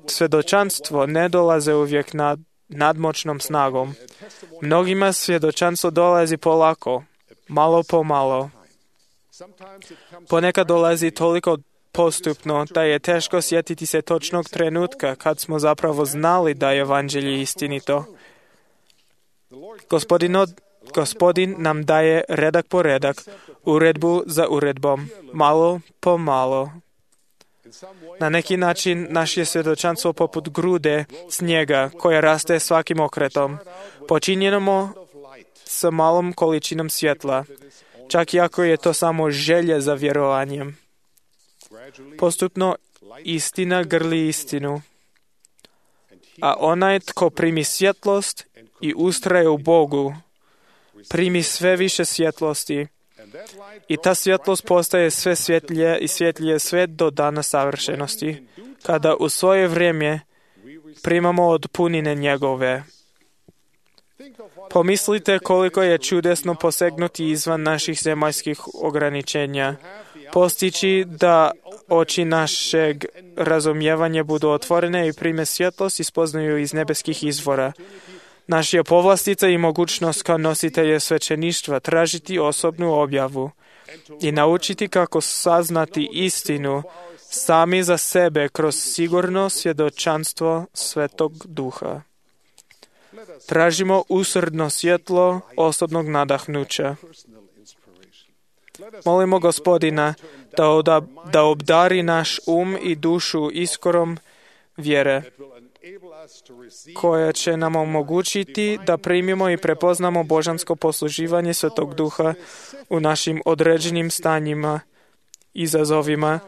svjedočanstvo ne dolaze uvijek nadmoćnom snagom. Mnogima svjedočanstvo dolazi polako, malo po malo. Ponekad dolazi toliko postupno da je teško sjetiti se točnog trenutka kad smo zapravo znali da je evanđelje istinito. Gospodin nam daje redak po redak, uredbu za uredbom, malo po malo. Na neki način naše je svjedočanstvo poput grude snijega koja raste svakim okretom. Počinjeno s malom količinom svjetla, čak i ako je to samo želje za vjerovanjem. Postupno istina grli istinu, a onaj tko primi svjetlost i ustraje u Bogu, primi sve više svjetlosti i ta svjetlost postaje sve svjetlije i svjetlije sve do dana savršenosti, kada u svoje vrijeme primamo od punine njegove. Pomislite koliko je čudesno posegnuti izvan naših zemaljskih ograničenja, postići da oči našeg razumijevanja budu otvorene i prime svjetlost i spoznaju iz nebeskih izvora. Naša je povlastica i mogućnost kao nositelje svećeništva tražiti osobnu objavu i naučiti kako saznati istinu sami za sebe kroz sigurno svjedočanstvo Svetog Duha. Tražimo usrdno svjetlo osobnog nadahnuća. Molimo Gospodina da obdari naš i dušu iskorom vjere, koja će nam omogućiti da primimo i prepoznamo božansko posluživanje Svetog Duha u našim određenim stanjima, izazovima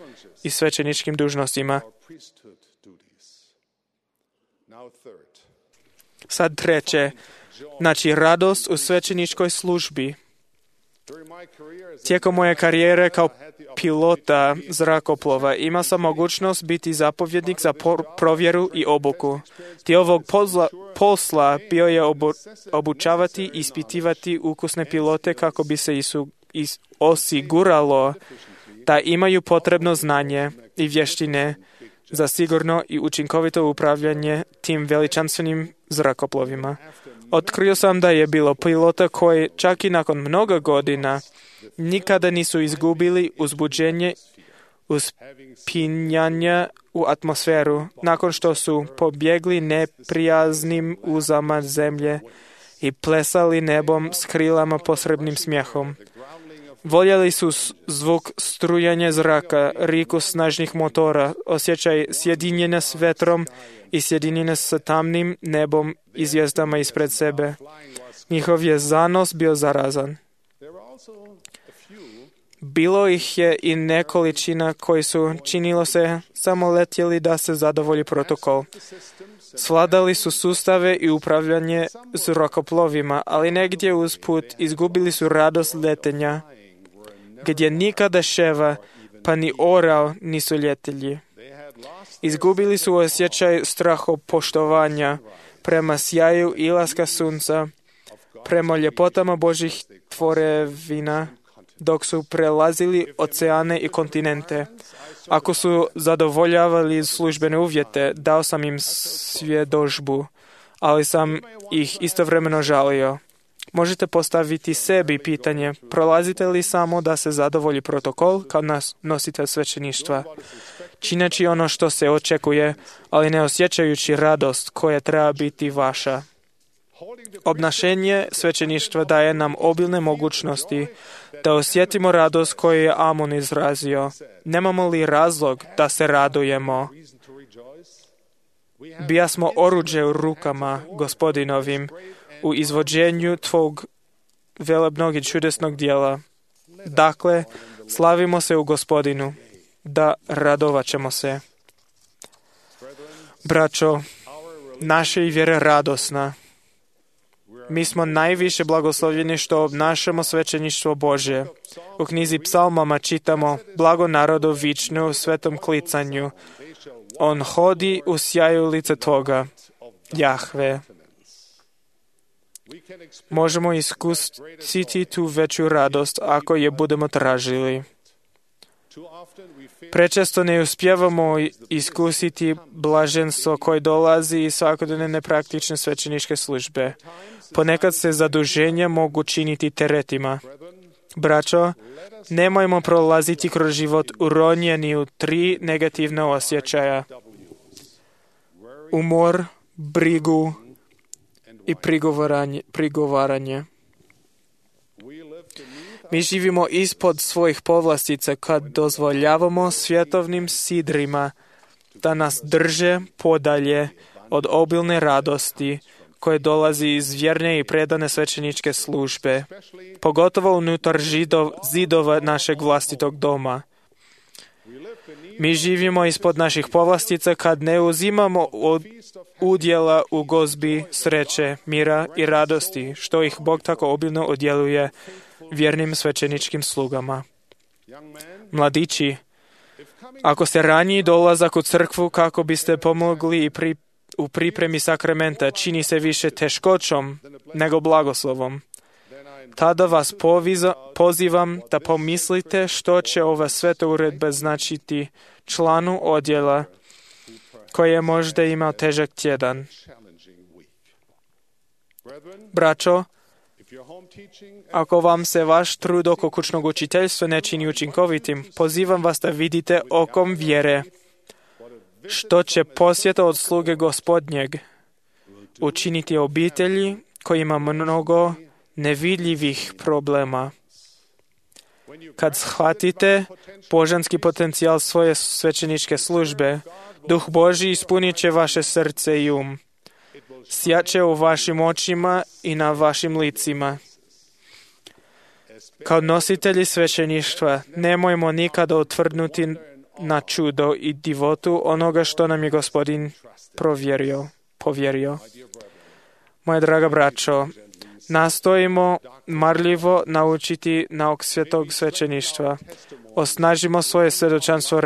i svećeničkim dužnostima. Sad treće, znači radost u svećeničkoj službi. Tijekom moje karijere kao pilota zrakoplova imao sam mogućnost biti zapovjednik za provjeru i obuku. Dio ovog posla bio je obučavati i ispitivati ukusne pilote kako bi se osiguralo da imaju potrebno znanje i vještine za sigurno i učinkovito upravljanje tim veličanstvenim zrakoplovima. Otkrio sam da je bilo pilota koji čak i nakon mnogo godina nikada nisu izgubili uzbuđenje uspinjanja u atmosferu nakon što su pobjegli neprijaznim uzama zemlje i plesali nebom s krilama posrebnim smjehom. Voljeli su zvuk strujanja zraka, riku snažnih motora, osjećaj sjedinjenja s vetrom i sjedinjenja s tamnim nebom i zvijezdama ispred sebe. Njihov je zanos bio zarazan. Bilo ih je i nekolicina koji su, činilo se, samo letjeli da se zadovolji protokol. Svladali su sustave i upravljanje zrakoplovima, ali negdje usput izgubili su radost letenja, gdje nikada ševa pa ni orao nisu ljetelji. Izgubili su osjećaj strahopoštovanja prema sjaju ilaska sunca, prema ljepotama Božih tvorevina, dok su prelazili oceane i kontinente. Ako su zadovoljavali službene uvjete, dao sam im svjedodžbu, ali sam ih istovremeno žalio. Možete postaviti sebi pitanje, prolazite li samo da se zadovolji protokol kao nositelj svećeništva, čineći ono što se očekuje, ali ne osjećajući radost koja treba biti vaša. Obnašenje svećeništva daje nam obilne mogućnosti da osjetimo radost koju je Amon izrazio. Nemamo li razlog da se radujemo? Bijasmo oruđe u rukama Gospodinovim u izvođenju tvog velebnog i čudesnog dijela. Dakle, slavimo se u Gospodinu, da radovat ćemo se. Braćo, naša je vjera radosna. Mi smo najviše blagoslovljeni što obnašamo svećeništvo Božje. U knjizi Psalmama čitamo: Blago narodu vičnu u svetom klicanju. On hodi u sjaju lice Tvoga, Jahve. Možemo iskusiti tu veću radost ako je budemo tražili. Prečesto ne uspijevamo iskusiti blaženstvo koje dolazi iz svakodnevne praktične svećeničke službe. Ponekad se zaduženja mogu činiti teretima. Braćo, nemojmo prolaziti kroz život uronjeni u 3 negativne osjećaja: umor, brigu i prigovaranje. Mi živimo ispod svojih povlastica kad dozvoljavamo svjetovnim sidrima da nas drže podalje od obilne radosti koje dolazi iz vjerne i predane svećeničke službe, pogotovo unutar zidova našeg vlastitog doma. Mi živimo ispod naših povlastica kad ne uzimamo udjela u gozbi sreće, mira i radosti, što ih Bog tako obilno odjeluje vjernim svećeničkim slugama. Mladići, ako ste raniji dolazak u crkvu kako biste pomogli u pripremi sakramenta čini se više teškoćom nego blagoslovom, tada vas pozivam da pomislite što će ova sveta uredba značiti članu odjela koji je možda imao težak tjedan. Braćo, ako vam se vaš trud oko kućnog učiteljstva ne čini učinkovitim, pozivam vas da vidite okom vjere što će posjeta od sluge Gospodnjeg učiniti obitelji koji ima mnogo nevidljivih problema. Kad shvatite božanski potencijal svoje svećeničke službe, Duh Božji ispunit će vaše srce i um. Sjaće u vašim očima i na vašim licima. Kao nositelji svećeništva nemojmo nikada otvrdnuti na čudo i divotu onoga što nam je Gospodin povjerio. Moja draga braćo, nastojimo marljivo naučiti nauk svetog svećeništva. Osnažimo svoje svjedočanstvo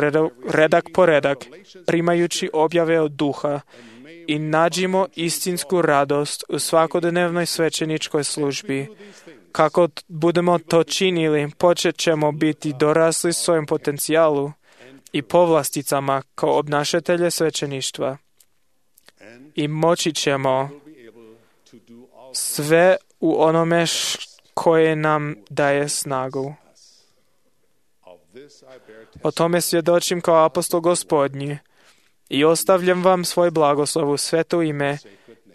redak po redak, primajući objave od Duha, i nađimo istinsku radost u svakodnevnoj svećeničkoj službi. Kako budemo to činili, počet ćemo biti dorasli svojem potencijalu i povlasticama kao obnašatelje svećeništva. I moći ćemo sve u onome koje nam daje snagu. O tome svjedočim kao apostol Gospodnji i ostavljam vam svoj blagoslov u sveto ime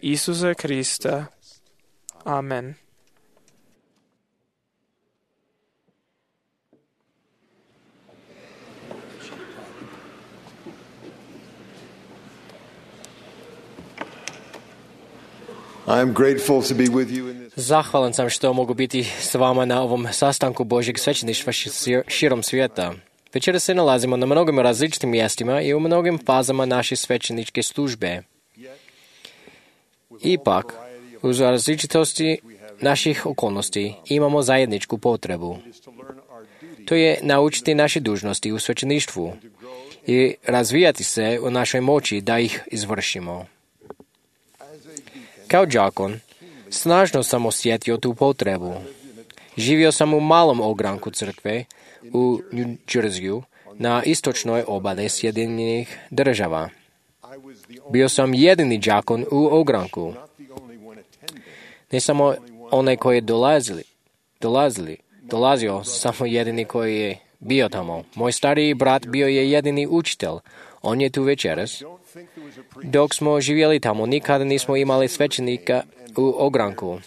Isusa Krista. Amen. Zahvalan sam što mogu biti s vama na ovom sastanku Božjeg svećeništva širom svijeta. Večera se nalazimo na mnogim različitim mjestima i u mnogim fazama naše svećeničke službe. Ipak, uz različitosti naših okolnosti imamo zajedničku potrebu. To je naučiti naše dužnosti u svećeništvu i razvijati se u našoj moći da ih izvršimo. Kao đakon, snažno sam osjetio tu potrebu. Živio sam u malom ogranku crkve u New Jerseyu na istočnoj obali Sjedinjenih Država. Bio sam jedini đakon u ogranku. Ne samo onaj koji je dolazio, samo jedini koji je bio tamo. Moj stariji brat bio je jedini učitelj. On je tu večeras. Dok smo živjeli tamo, nikada nismo imali svećenika u ogranku.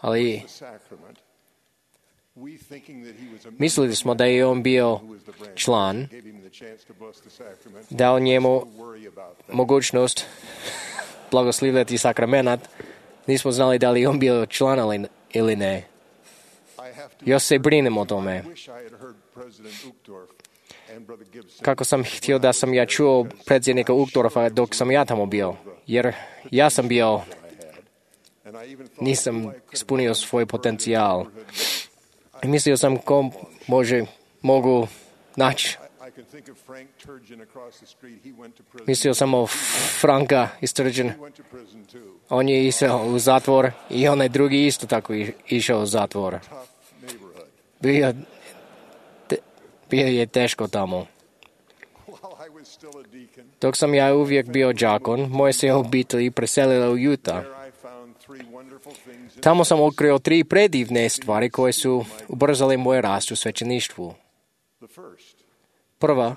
Ali mislili smo da je on bio član, dao njemu mogućnost blagoslivljati sakramenat. Nismo znali da li on bio član ili ne. Još se brinem o tome. Kako sam htio da sam ja čuo predsjednika Uchtdorfa dok sam ja tamo bio, jer ja sam bio nisam ispunio svoj potencijal. I mislio sam ko mogu naći. Mislio sam o Franka iz Turgeon. On je išao u zatvor i onaj drugi isto tako išao u zatvor. Bio je teško tamo. Dok sam ja uvijek bio đakon, moja se obitelj preselila u Utah. Tamo sam otkrio 3 predivne stvari koje su ubrzale moj rast u svećeništvu. Prva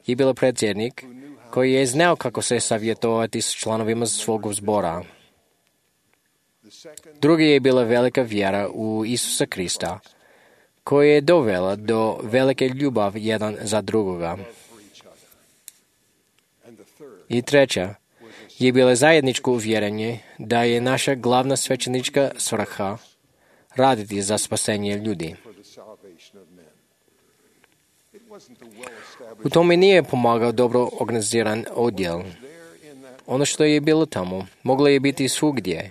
je bila predsjednik koji je znao kako se savjetovati s članovima svog zbora. Drugi je bila velika vjera u Isusa Krista, koja je dovela do velike ljubavi jedan za drugoga. I treća je bila zajedničko uvjerenje da je naša glavna svećenička svrha raditi za spasenje ljudi. U tome nije pomagao dobro organiziran odjel. Ono što je bilo tamo moglo je biti svugdje,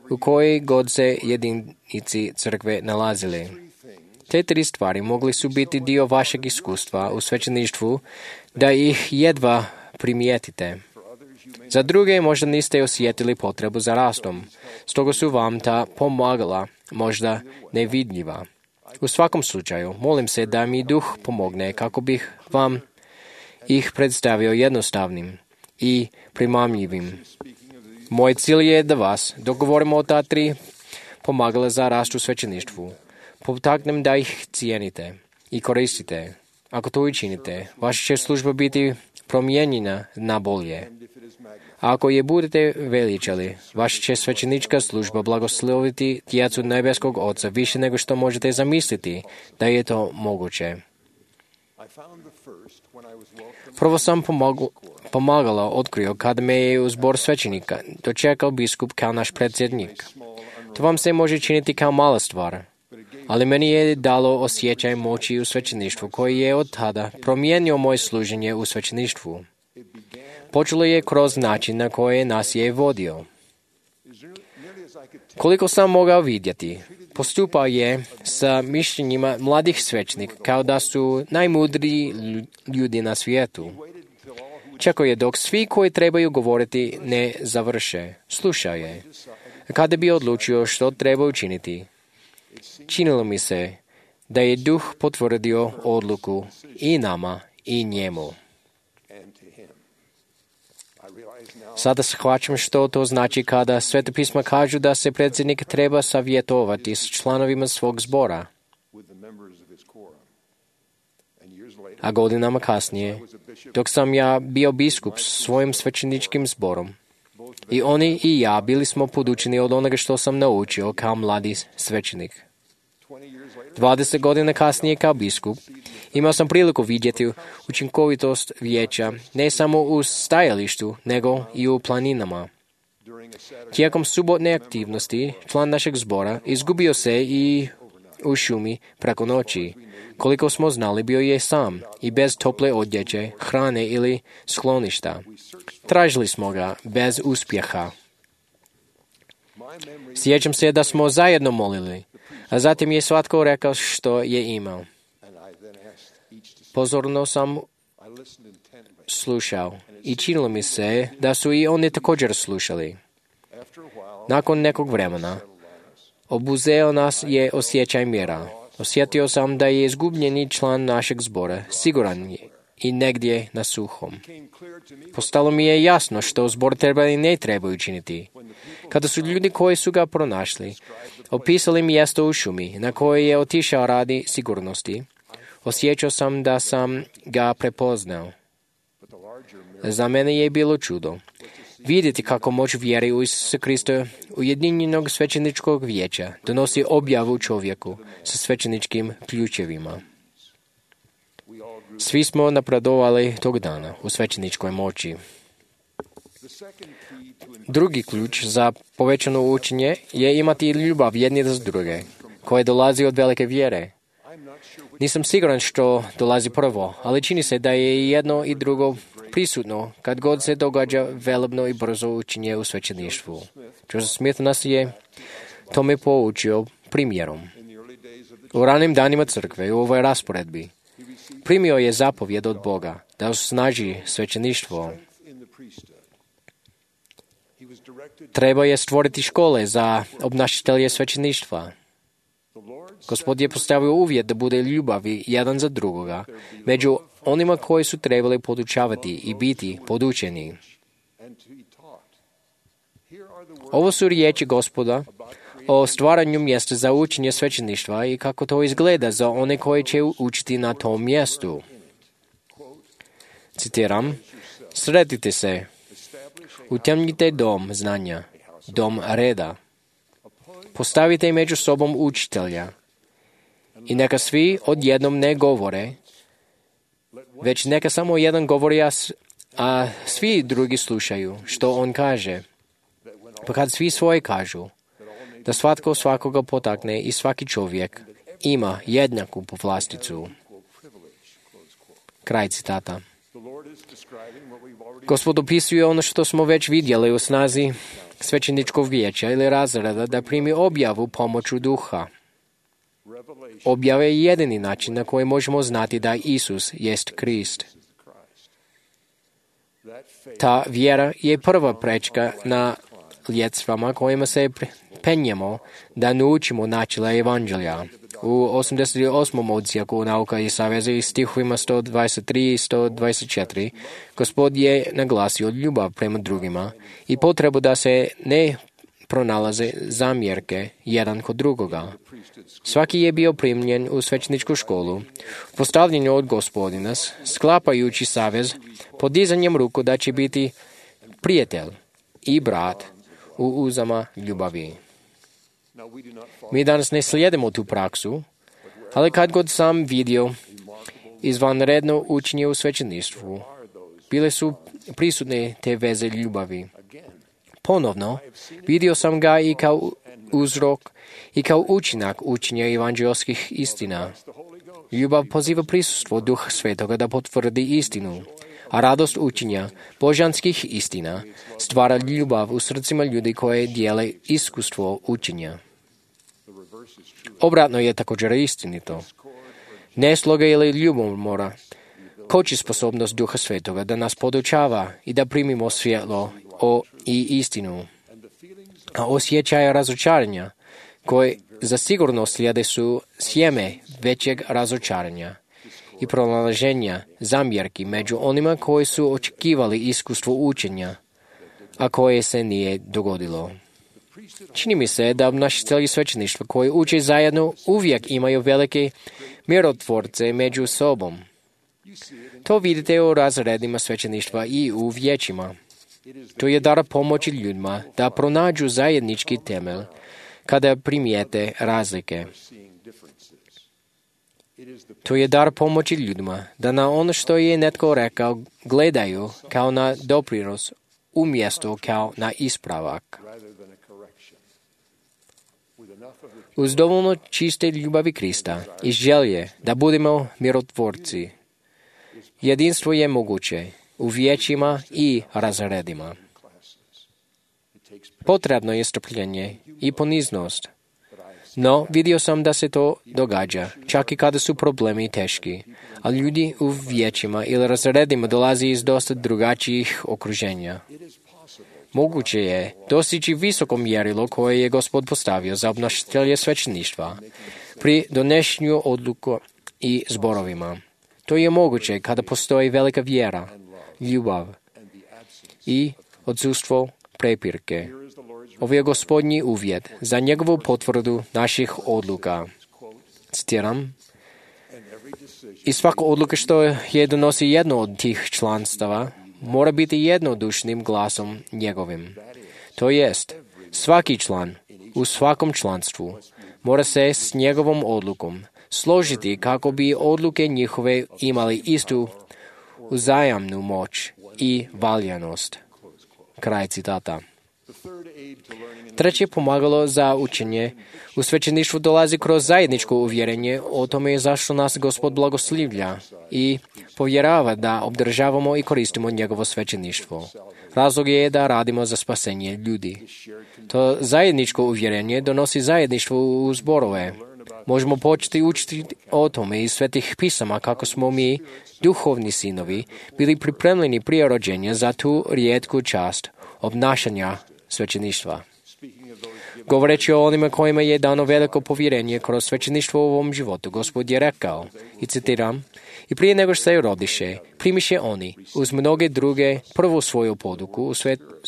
u kojoj god se jedinici crkve nalazili. Te 3 stvari mogli su biti dio vašeg iskustva u svećeništvu, da ih jedva primijetite. Za druge možda niste osjetili potrebu za rastom, stoga su vam ta pomagala možda nevidljiva. U svakom slučaju, molim se da mi duh pomogne kako bih vam ih predstavio jednostavnim i primamljivim. Moj cilj je da vas, dok govorimo o ta 3 pomagala za rast u svećeništvu, potaknem da ih cijenite i koristite. Ako to učinite, vaša će služba biti promijenjena na bolje. A ako je budete veličali, vaša će svećenička služba blagosloviti djecu nebeskog Oca više nego što možete zamisliti da je to moguće. Prvo sam pomagala otkrio kada me je u zbor svećenika dočekao biskup kao naš predsjednik. To vam se može činiti kao mala stvar, ali meni je dalo osjećaj moći u svećeništvu koji je od tada promijenio moje služenje u svećeništvu. Počelo je kroz način na koji nas je vodio. Koliko sam mogao vidjeti, postupao je sa mišljenjima mladih svećnika kao da su najmudriji ljudi na svijetu. Čekao je dok svi koji trebaju govoriti ne završe. Slušao je. Kada bi odlučio što treba učiniti, činilo mi se da je duh potvrdio odluku i nama i njemu. Sada shvaćam što to znači kada Sveta pisma kažu da se predsjednik treba savjetovati s članovima svog zbora. A godinama kasnije, dok sam ja bio biskup s svojim svećeničkim zborom, i oni i ja bili smo podučeni od onoga što sam naučio kao mladi svećenik. 20 godina kasnije kao biskup, imao sam priliku vidjeti učinkovitost vijeća ne samo u stajalištu, nego i u planinama. Tijekom subotne aktivnosti, član našeg zbora izgubio se i u šumi preko noći. Koliko smo znali, bio je sam i bez tople odjeće, hrane ili skloništa. Tražili smo ga bez uspjeha. Sjećam se da smo zajedno molili, a zatim je svatko rekao što je imao. Pozorno sam slušao i činilo mi se da su i oni također slušali. Nakon nekog vremena obuzeo nas je osjećaj mira. Osjetio sam da je izgubljeni član našeg zbora siguran je i negdje na suhom. Postalo mi je jasno što zbor treba i ne treba učiniti. Kada su ljudi koji su ga pronašli opisali mjesto u šumi na koje je otišao radi sigurnosti, osjećao sam da sam ga prepoznao. Za mene je bilo čudo vidjeti kako moć vjere u Isusa Krista ujedinjenog svećeničkog vijeća donosi objavu čovjeku sa svećeničkim ključevima. Svi smo napredovali tog dana u svećeničkoj moći. Drugi ključ za povećano učenje je imati ljubav jedni za druge, koje dolazi od velike vjere. Nisam siguran što dolazi prvo, ali čini se da je jedno i drugo prisutno kad god se događa velebno i brzo učenje u svećeništvu. Joseph Smith nas je tome poučio primjerom. U ranim danima crkve u ovoj rasporedbi primio je zapovjed od Boga da osnaži svećeništvo. Treba je stvoriti škole za obnašatelje svećeništva. Gospod je postavio uvjet da bude ljubavi jedan za drugoga među onima koji su trebali podučavati i biti podučeni. Ovo su riječi Gospoda o stvaranju mjesta za učenje svećeništva i kako to izgleda za one koji će učiti na tom mjestu. Citiram, sretite se, utemnite dom znanja, dom reda. Postavite među sobom učitelja i neka svi odjednom ne govore, već neka samo jedan govori, a svi drugi slušaju što on kaže. Pa kad svi svoje kažu, da svatko svakoga potakne i svaki čovjek ima jednaku povlasticu. Kraj citata. Gospod opisuje ono što smo već vidjeli u snazi svećeničkog vijeća ili razreda da primi objavu pomoću duha. Objava je jedini način na koji možemo znati da Isus jest Krist. Ta vjera je prva prečka na ljedstvama kojima se penjemo da naučimo načela evanđelja. U 88. odsjeku Nauka i saveza i stihovima 123 i 124 Gospod je naglasio ljubav prema drugima i potrebu da se ne pronalaze zamjerke jedan kod drugoga. Svaki je bio primljen u svećeničku školu, postavljen od Gospodina, sklapajući savez, podizanjem ruku da će biti prijatelj i brat u uzama ljubavi. Mi danas ne slijedimo tu praksu, ali kad god sam vidio izvanredno učenje u svećeništvu, bile su prisutne te veze ljubavi. Ponovno, vidio sam ga i kao uzrok i kao učinak učenja evanđelskih istina. Ljubav poziva prisustvo Duha Svetoga da potvrdi istinu, a radost učenja božanskih istina stvara ljubav u srcima ljudi koje dijele iskustvo učenja. Obratno je također istinito. Nesloga ili ljubomora koči sposobnost Duha Svetoga da nas podučava i da primimo svjetlo i istinu. A osjećaje razočaranja koje zasigurno slijede su sjeme većeg razočaranja i pronalaženja zamjerki među onima koji su očekivali iskustvo učenja, a koje se nije dogodilo. Čini mi se da obnašatelji svećeništva koji uče zajedno uvijek imaju velike mirotvorce među sobom. To vidite u razredima svećeništva i u vijećima. To je dar pomoći ljudima da pronađu zajednički temelj kada primijete razlike. To je dar pomoći ljudima da na ono što je netko rekao gledaju kao na doprinos umjesto kao na ispravak. Uz dovoljno čiste ljubavi Krista i želje da budemo mirotvorci, jedinstvo je moguće u vijećima i razredima. Potrebno je strpljenje i poniznost. No, vidio sam da se to događa, čak i kada su problemi teški, a ljudi u vijećima ili razredima dolazi iz dosta drugačijih okruženja. Moguće je dostići visoko mjerilo koje je Gospod postavio za obnašatelje svećeništva pri donošenju odluka i zborovima. To je moguće kada postoji velika vjera, ljubav i odsustvo prepirke. Ovo je Gospodnji uvjet za njegovu potvrdu naših odluka. Citiram, i svaka odluka što je donosi jedno od tih članstava mora biti jednodušnim glasom njegovim. To jest, svaki član u svakom članstvu mora se s njegovom odlukom složiti kako bi odluke njihove imali istu uzajamnu moć i valjanost. Kraj citata. Treće pomagalo za učenje. U svećeništvu dolazi kroz zajedničko uvjerenje o tome zašto nas Gospod blagoslivlja i povjerava da obdržavamo i koristimo njegovo svećeništvo. Razlog je da radimo za spasenje ljudi. To zajedničko uvjerenje donosi zajedništvo u zborove. Možemo početi učiti o tome iz svetih pisama kako smo mi, duhovni sinovi, bili pripremljeni prije rođenja za tu rijetku čast obnašanja svećeništva. Govoreći o onima kojima je dano veliko povjerenje kroz svećeništvo u ovom životu, Gospod je rekao, i citiram, i prije nego što se rodiše, primiše oni, uz mnoge druge, prvu svoju poduku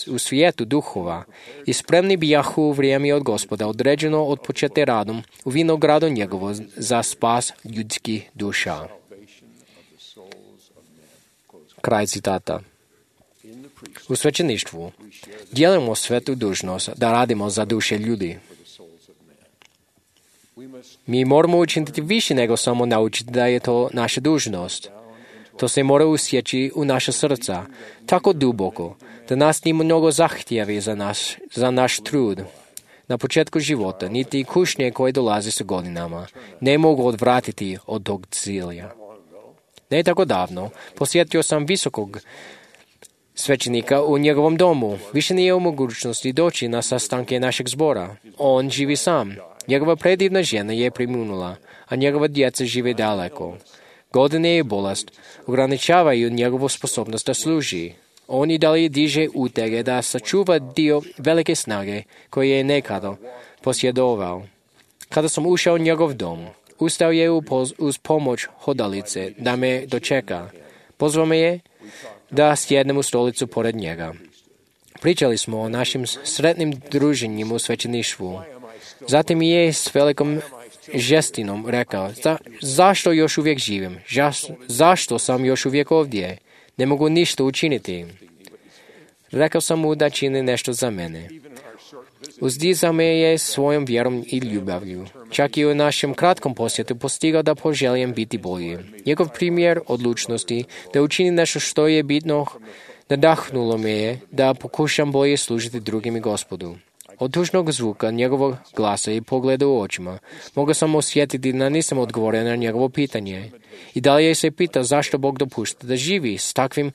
u svijetu duhova i spremni bijahu u vrijeme od Gospoda, određeno od počete radom u vinogradu njegovo za spas ljudskih duša. Kraj citata. U svećeništvu dijelimo svetu dužnost da radimo za duše ljudi. Mi moramo učiniti više nego samo naučiti da je to naša dužnost. To se mora usjeći u naša srca tako duboko da nas nije mnogo zahtjevi za naš trud. Na početku života niti kušnje koje dolaze sa godinama ne mogu odvratiti od tog cilja. Ne tako davno posjetio sam visokog svećenika u njegovom domu. Više nije u mogućnosti doći na sastanke našeg zbora. On živi sam. Njegova predivna žena je preminula, a njegova djeca žive daleko. Godine i bolest ograničavaju njegovu sposobnost da služi. On i dalje diže utege da sačuva dio velike snage koje je nekada posjedovao. Kada sam ušao u njegov dom, ustao je uz pomoć hodalice da me dočeka. Pozvao me je da sjednem u stolicu pored njega. Pričali smo o našim sretnim druženjima u svećeništvu. Zatim je s velikom žestinom rekao, zašto još uvijek živim? Zašto sam još uvijek ovdje? Ne mogu ništa učiniti. Rekao sam mu da čini nešto za mene. Uzdizao me je svojom vjerom i ljubavlju. Čak i u našem kratkom posjetu postigao da poželijem biti bolji. Njegov primjer odlučnosti da učini nešto što je bitno nadahnulo me je da pokušam bolje služiti drugim i Gospodu. Od tužnog zvuka njegovog glasa i pogleda u očima mogao sam osjetiti da nisam odgovorio na njegovo pitanje. I dalje se pitao zašto Bog dopušta da živi s takvim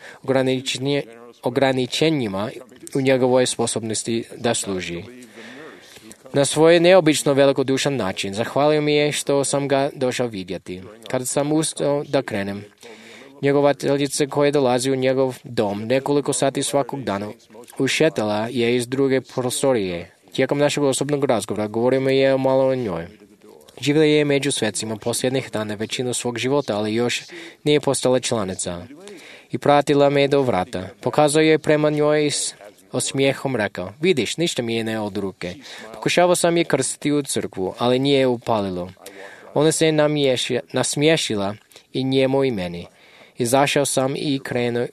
ograničenjima u njegovoj sposobnosti da služi. Na svoj neobično velikodušan način zahvalio mi je što sam ga došao vidjeti. Kada sam ustao da krenem, njegovateljica koja dolazi u njegov dom nekoliko sati svakog dana ušetala je iz druge prostorije. Tijekom našeg osobnog razgovora govorio mi je malo o njoj. Živjela je među svecima posljednjih dana većinu svog života, ali još nije postala članica. I pratila me do vrata. Pokazao je prema njoj s osmijehom rekao, vidiš, ništa mi je ne od ruke. Pokušavao sam je krstiti u crkvu, ali nije upalilo. Ona se nasmiješila i njemu i meni. Izašao sam i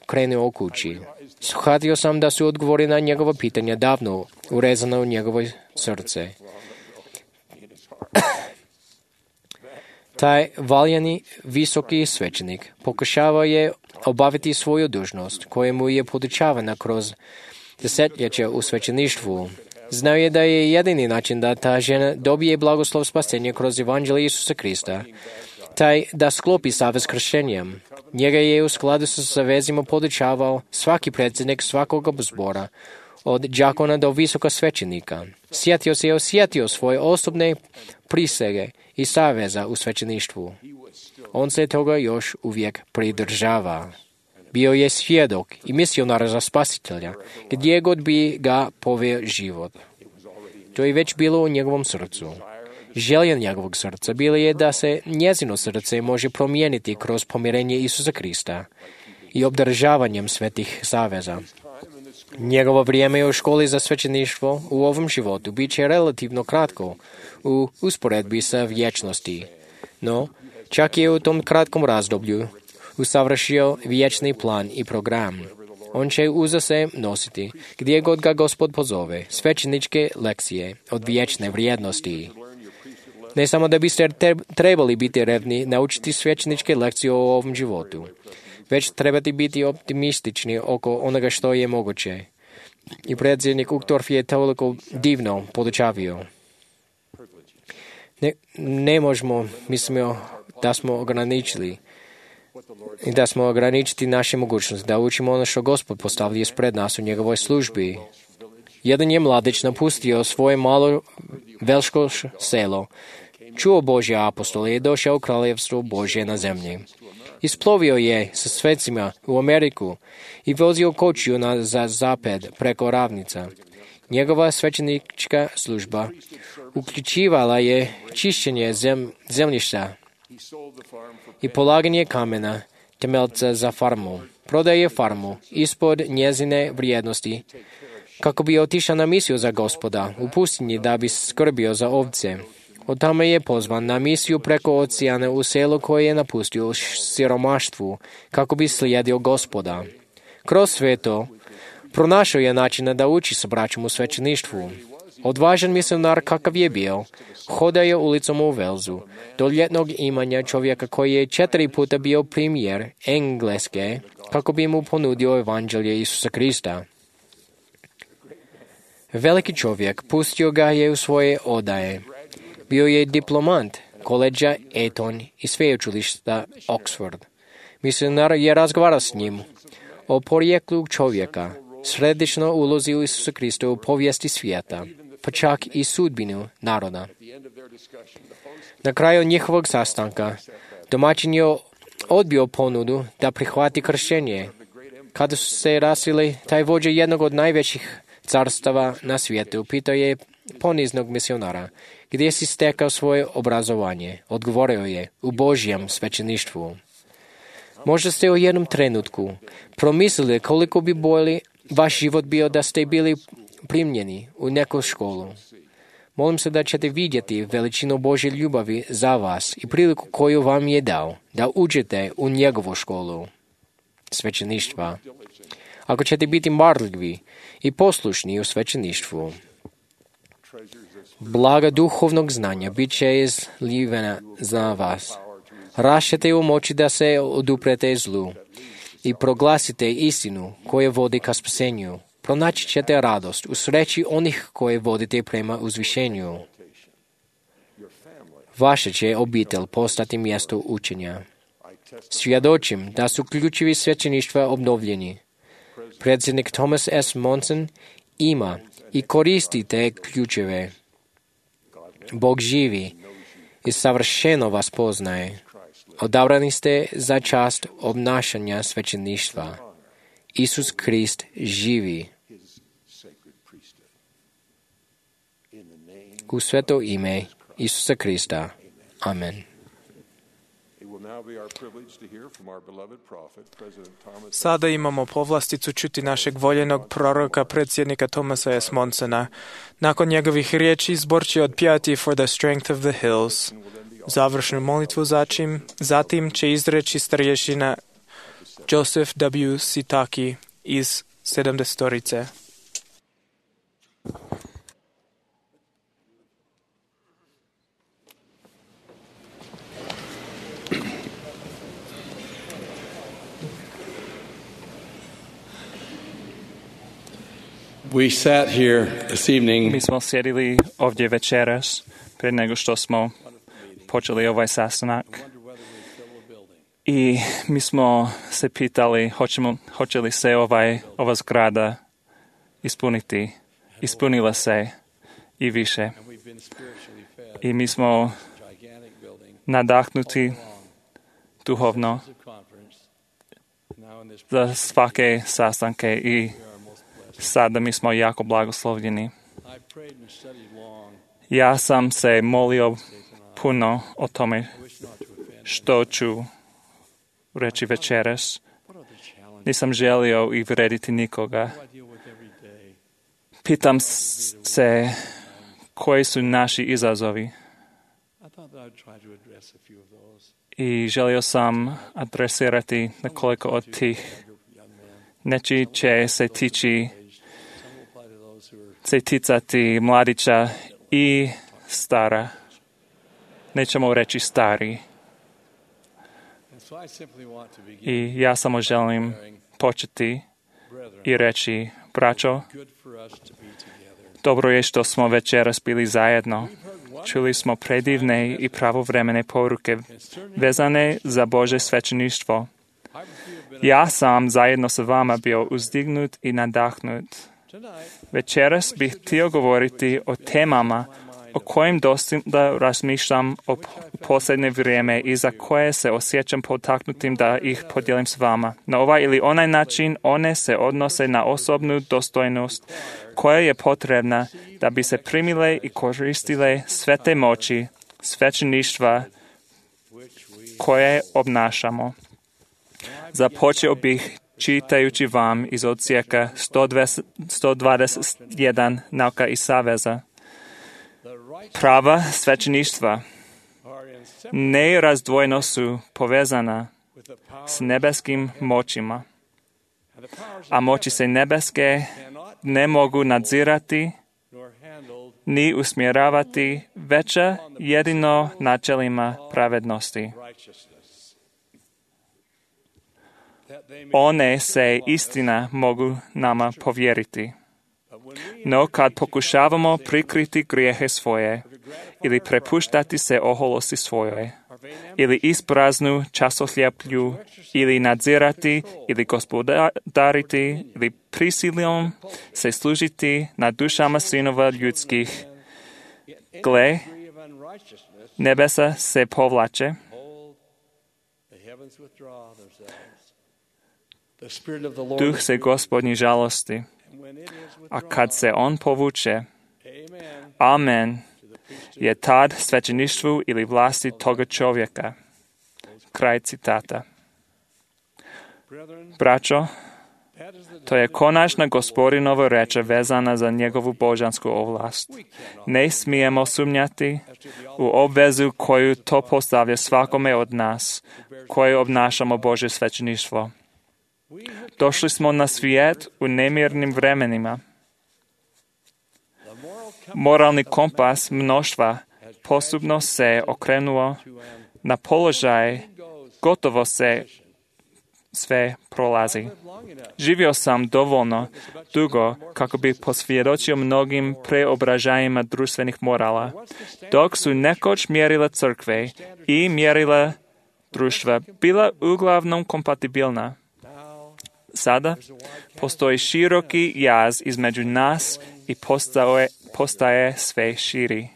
krenuo u kući. Shvatio sam da su odgovori na njegova pitanja davno urezana u njegovo srce. Taj valjani visoki svećenik pokušavao je obaviti svoju dužnost koja mu je podučavana kroz desetljeća u svećeništvu. Znao je da je jedini način da ta žena dobije blagoslov spasenja kroz evanđelje Isusa Krista, taj da sklopi savez s krštenjem. Njega je u skladu sa savezima podučavao svaki predsjednik svakog zbora, od đakona do visoka svećenika. Sjetio se i osjetio svoje osobne prisege i saveza u svećeništvu. On se toga još uvijek pridržava. Bio je svjedok i misionar za spasitelja, gdje god bi ga poveo život. To je već bilo u njegovom srcu. Želja njegovog srca bila je da se njezino srce može promijeniti kroz pomirenje Isusa Krista i obdržavanjem svetih saveza. Njegovo vrijeme u školi za svećeništvo u ovom životu bit će relativno kratko u usporedbi sa vječnosti. No, čak je u tom kratkom razdoblju usavršio vječni plan i program. On će uza se nositi, gdje god ga Gospod pozove, svećeničke lekcije od vječne vrijednosti. Ne samo da biste trebali biti revni naučiti svećeničke lekcije o ovom životu, već trebate biti optimistični oko onoga što je moguće. I predsjednik Uchtdorf je toliko divno podučavio. Ne možemo, mislimo, da smo ograničili i da smo ograničiti naše mogućnosti, da učimo ono što Gospod postavlja ispred nas u njegovoj službi. Jedan je mladić napustio svoje malo velško selo, čuo Božje apostole i došao u kraljevstvo Božje na zemlji. Isplovio je sa svecima u Ameriku i vozio kočiju za zapad preko ravnica. Njegova svećenička služba uključivala je čišćenje zemljišta i polaganje kamena temeljca za farmu. Prodaje farmu ispod njezine vrijednosti kako bi otišao na misiju za Gospoda u pustinji da bi skrbio za ovce. Od tamo je pozvan na misiju preko oceana u selo koje je napustio u siromaštvu kako bi slijedio Gospoda. Kroz sve to pronašao je načina da uči sa braćom u svećeništvu. Odvažan misionar kakav je bio, hodao je ulicom u Velsu do ljetnog imanja čovjeka koji je 4 puta bio premijer Engleske kako bi mu ponudio evanđelje Isusa Krista. Veliki čovjek pustio ga je u svoje odaje. Bio je diplomant koleđa Eton i sveučilišta Oxford. Misionar je razgovarao s njim o porijeklu čovjeka, središnjo ulozi u Isusa Krista u povijesti svijeta, pa čak i sudbinu naroda. Na kraju njihovog sastanka domaćin je odbio ponudu da prihvati kršćenje. Kada su se rasili, taj vođa jednog od najvećih carstava na svijetu pitao je poniznog misionara, gdje si stekao svoje obrazovanje. Odgovorio je, u Božjem svećeništvu. Možda ste u jednom trenutku promislili koliko bi bolji vaš život bio da ste bili primljeni u neku školu. Molim se da ćete vidjeti veličinu Božje ljubavi za vas i priliku koju vam je dao da uđete u njegovu školu svećeništva. Ako ćete biti marljivi i poslušni u svećeništvu, blaga duhovnog znanja bit će izlivena za vas. Rašćete u moći da se oduprete zlu i proglasite istinu koja vodi ka spasenju. Pronaći ćete radost u sreći onih koje vodite prema uzvišenju. Vaša će obitelj postati mjesto učenja. Svjedočim da su ključevi svećeništva obnovljeni. Predsjednik Thomas S. Monson ima i koristi te ključeve. Bog živi i savršeno vas poznaje. Odabrani ste za čast obnašanja svećeništva. Isus Krist živi. U sveto ime Isusa Krista. Amen. Sada imamo povlasticu čuti našeg voljenog proroka, predsjednika Thomasa S. Monsona. Nakon njegovih riječi zbor će odpjevati For the Strength of the Hills. Završnu molitvu zatim će izreći starješina Joseph W. Sitaki iz 70-torice. We sat here this evening. Mi smo sjedili ovdje večeras prije nego što smo počeli ovaj sastanak i mi smo se pitali hoće li se ova zgrada ispuniti. Ispunila se i više. I mi smo nadahnuti duhovno za svake sastanke i sada mi smo jako blagoslovljeni. Ja sam se molio puno o tome što ću reći večeras. Nisam želio uvrediti nikoga. Pitam se koji su naši izazovi. I želio sam adresirati nekoliko od tih. Neki će se ticati mladića i stara. Nećemo reći stari. I ja samo želim početi i reći, braćo, dobro je što smo večeras bili zajedno. Čuli smo predivne i pravovremene poruke vezane za Božje svećeništvo. Ja sam zajedno sa vama bio uzdignut i nadahnut. Večeras bih htio govoriti o temama o kojim dosta razmišljam o posljednje vrijeme i za koje se osjećam potaknutim da ih podijelim s vama. Na ovaj ili onaj način one se odnose na osobnu dostojnost koja je potrebna da bi se primile i koristile sve te moći svećeništva koje obnašamo. Započeo bih čitajući vam iz odsjeka 121 Nauka i saveza. Prava svećeništva nerazdvojno su povezana s nebeskim moćima, a moći se nebeske ne mogu nadzirati ni usmjeravati veća jedino načelima pravednosti. One se istina mogu nama povjeriti. No kad pokušavamo prikriti grijehe svoje ili prepuštati se oholosti svojoj, ili ispraznu časohljeplju, ili nadzirati, ili gospodariti, ili prisilom se služiti na dušama sinova ljudskih, gle, nebesa se povlače, duh se Gospodnji žalosti, a kad se on povuče, amen, je tad svećeništvu ili vlasti toga čovjeka. Kraj citata. Braćo, to je konačna Gospodinova reč vezana za njegovu božansku ovlast. Ne smijemo sumnjati u obvezu koju to postavlja svakome od nas, koji obnašamo Božje svećeništvo. Došli smo na svijet u nemirnim vremenima. Moralni kompas mnoštva postupno se okrenuo na položaj, gotovo se sve prolazi. Živio sam dovoljno dugo kako bi posvjedočio mnogim preobražajima društvenih morala, dok su nekoć mjerila crkve i mjerila društva bila uglavnom kompatibilna. Sada postoji široki jaz između nas i postaje sve širi.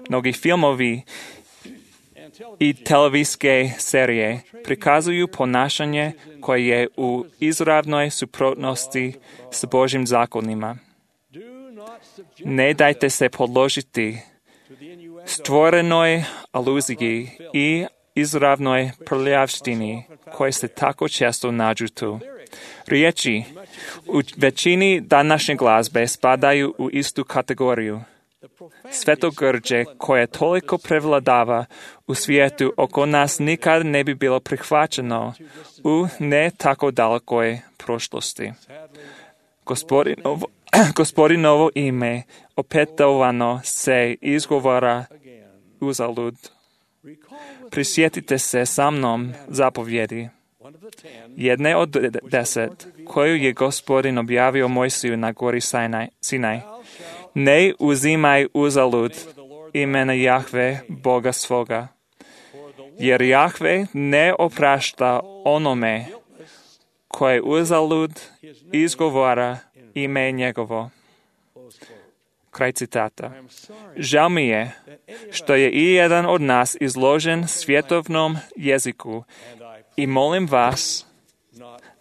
Mnogi filmovi i televizijske serije prikazuju ponašanje koje je u izravnoj suprotnosti s Božjim zakonima. Ne dajte se podložiti stvorenoj aluziji i izravnoj prljavštini koje se tako često nađu tu. Riječi u većini današnje glazbe spadaju u istu kategoriju. Svetogrđe koje toliko prevladava u svijetu oko nas nikad ne bi bilo prihvaćeno u ne tako dalekoj prošlosti. Gospodinovo ime opetovano se izgovara uzalud. Prisjetite se sa mnom zapovjedi. Jedne od 10, koju je Gospodin objavio Mojsiju na gori Sinaj. Ne uzimaj uzalud imena Jahve, Boga svoga, jer Jahve ne oprašta onome koje uzalud izgovara ime njegovo. Kraj citata. Žao mi je što je i jedan od nas izložen svjetovnom jeziku i molim vas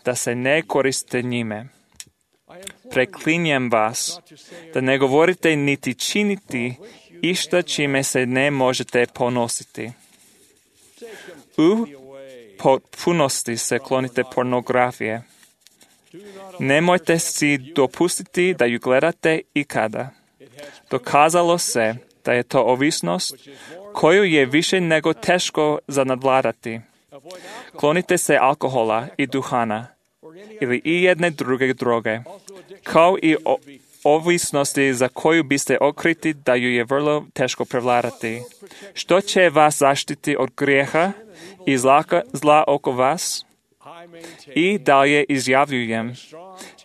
da se ne koriste njime. Preklinjem vas da ne govorite niti činiti išta čime se ne možete ponositi. U potpunosti se klonite pornografije. Nemojte si dopustiti da ju gledate ikada. Dokazalo se da je to ovisnost koju je više nego teško za nadvladati. Klonite se alkohola i duhana ili i jedne druge droge, kao i ovisnosti za koju biste otkriti da ju je vrlo teško prevladati. Što će vas zaštiti od grijeha i zla oko vas? I dalje izjavljujem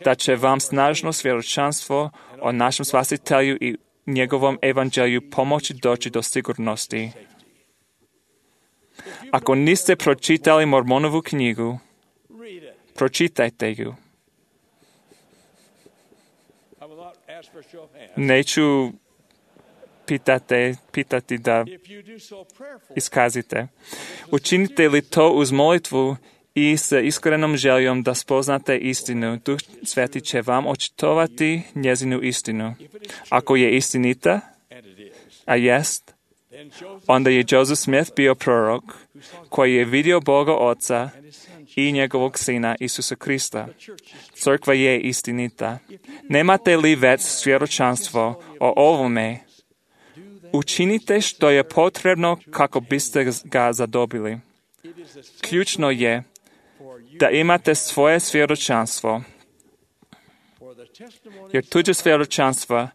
da će vam snažno svjedočanstvo o našem Spasitelju i njegovom evanđelju pomoći doći do sigurnosti. Ako niste pročitali Mormonovu knjigu, pročitajte ju. Neću pitati da iskazite. Učinite li to uz molitvu i sa iskrenom željom da spoznate istinu, Duh Sveti će vam očitovati njezinu istinu. Ako je istinita, a jest, onda je Joseph Smith bio prorok koji je vidio Boga Oca i njegovog Sina Isusa Krista. Crkva je istinita. Nemate li već svjedočanstvo o ovome? Učinite što je potrebno kako biste ga zadobili. Ključno je da imate svoje svjedočanstvo, jer tuđe svjedočanstva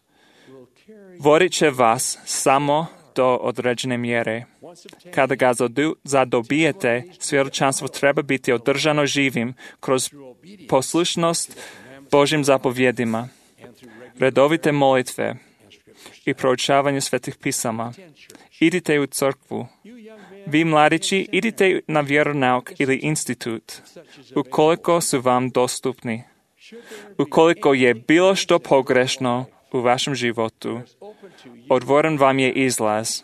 vodit će vas samo do određene mjere. Kada ga zadobijete, svjedočanstvo treba biti održano živim kroz poslušnost Božim zapovjedima, redovite molitve i proučavanje svetih pisama. Idite u crkvu. Vi mladići, idite na vjeronauk ili institut, ukoliko su vam dostupni. Ukoliko je bilo što pogrešno u vašem životu, otvoren vam je izlaz.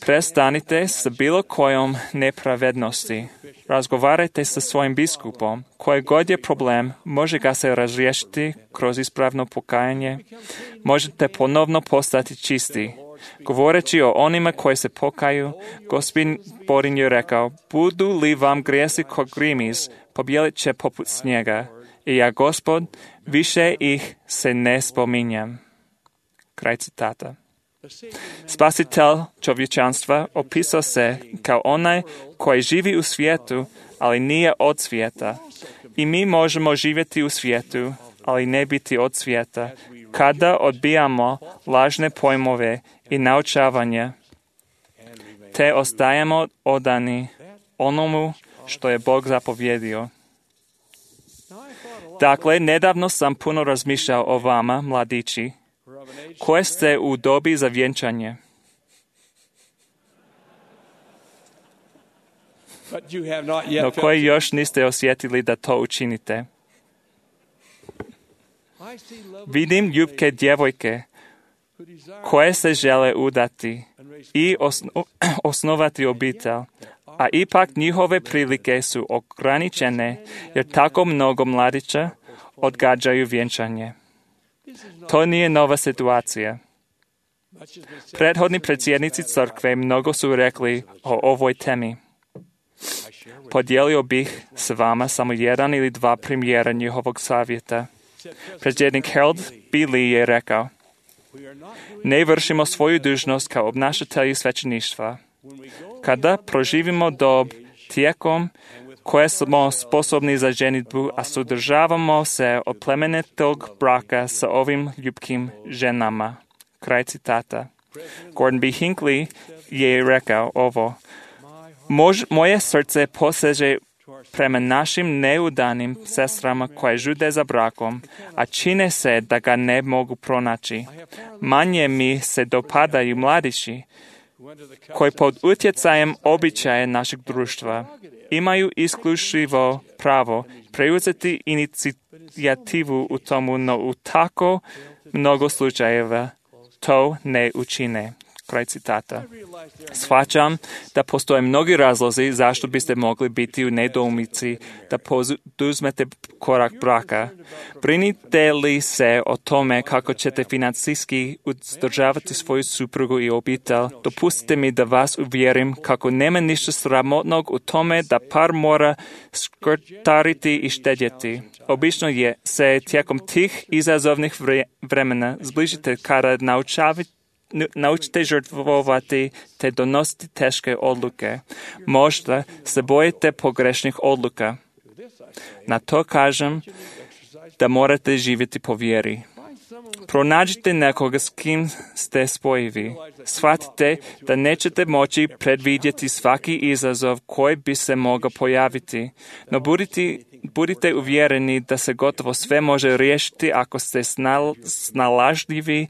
Prestanite sa bilo kojom nepravednosti. Razgovarajte sa svojim biskupom. Koji god je problem, može ga se razriješiti kroz ispravno pokajanje. Možete ponovno postati čisti. Govoreći o onima koji se pokaju, Gospodin je rekao, budu li vam grijesi ko grimiz, pobjelit će poput snijega. I ja, Gospod, više ih se ne spominjem. Kraj citata. Spasitelj čovječanstva opisao se kao onaj koji živi u svijetu, ali nije od svijeta. I mi možemo živjeti u svijetu, ali ne biti od svijeta, kada odbijamo lažne pojmove i naučavanje, te ostajemo odani onomu što je Bog zapovjedio. Dakle, nedavno sam puno razmišljao o vama, mladići, koje ste u dobi za vjenčanje. No koji još niste osjetili da to učinite. Vidim ljubke djevojke koje se žele udati i osnovati obitelj, a ipak njihove prilike su ograničene jer tako mnogo mladića odgađaju vjenčanje. To nije nova situacija. Prethodni predsjednici crkve mnogo su rekli o ovoj temi. Podijelio bih s vama samo jedan ili dva primjera njihovog savjeta. Predsjednik Harold B. Lee je rekao, ne vršimo svoju dužnost kao obnašatelji svećeništva. Kada proživimo dob tijekom koje smo sposobni za ženitbu, a sudržavamo se od plemenitog braka sa ovim ljubkim ženama. Kraj citata. Gordon B. Hinckley je rekao ovo. Moje srce poseže prema našim neudanim sestrama koje žude za brakom, a čine se da ga ne mogu pronaći. Manje mi se dopadaju mladići koji pod utjecajem običaja našeg društva imaju isključivo pravo preuzeti inicijativu u tomu, no u tako mnogo slučajeva to ne učine. Kraj citata. Shvaćam da postoje mnogi razlozi zašto biste mogli biti u nedoumici da poduzmete korak braka. Brinite li se o tome kako ćete financijski uzdržavati svoju suprugu i obitelj, dopustite mi da vas uvjerim kako nema ništa sramotnog u tome da par mora skrtariti i štedjeti. Obično se tijekom tih izazovnih vremena zbližite kada naučite žrtvovati te donositi teške odluke. Možda se bojite pogrešnih odluka. Na to kažem da morate živjeti po vjeri. Pronađite nekoga s kim ste spojivi. Shvatite da nećete moći predvidjeti svaki izazov koji bi se mogao pojaviti, no budite uvjereni da se gotovo sve može riješiti ako ste snalažljivi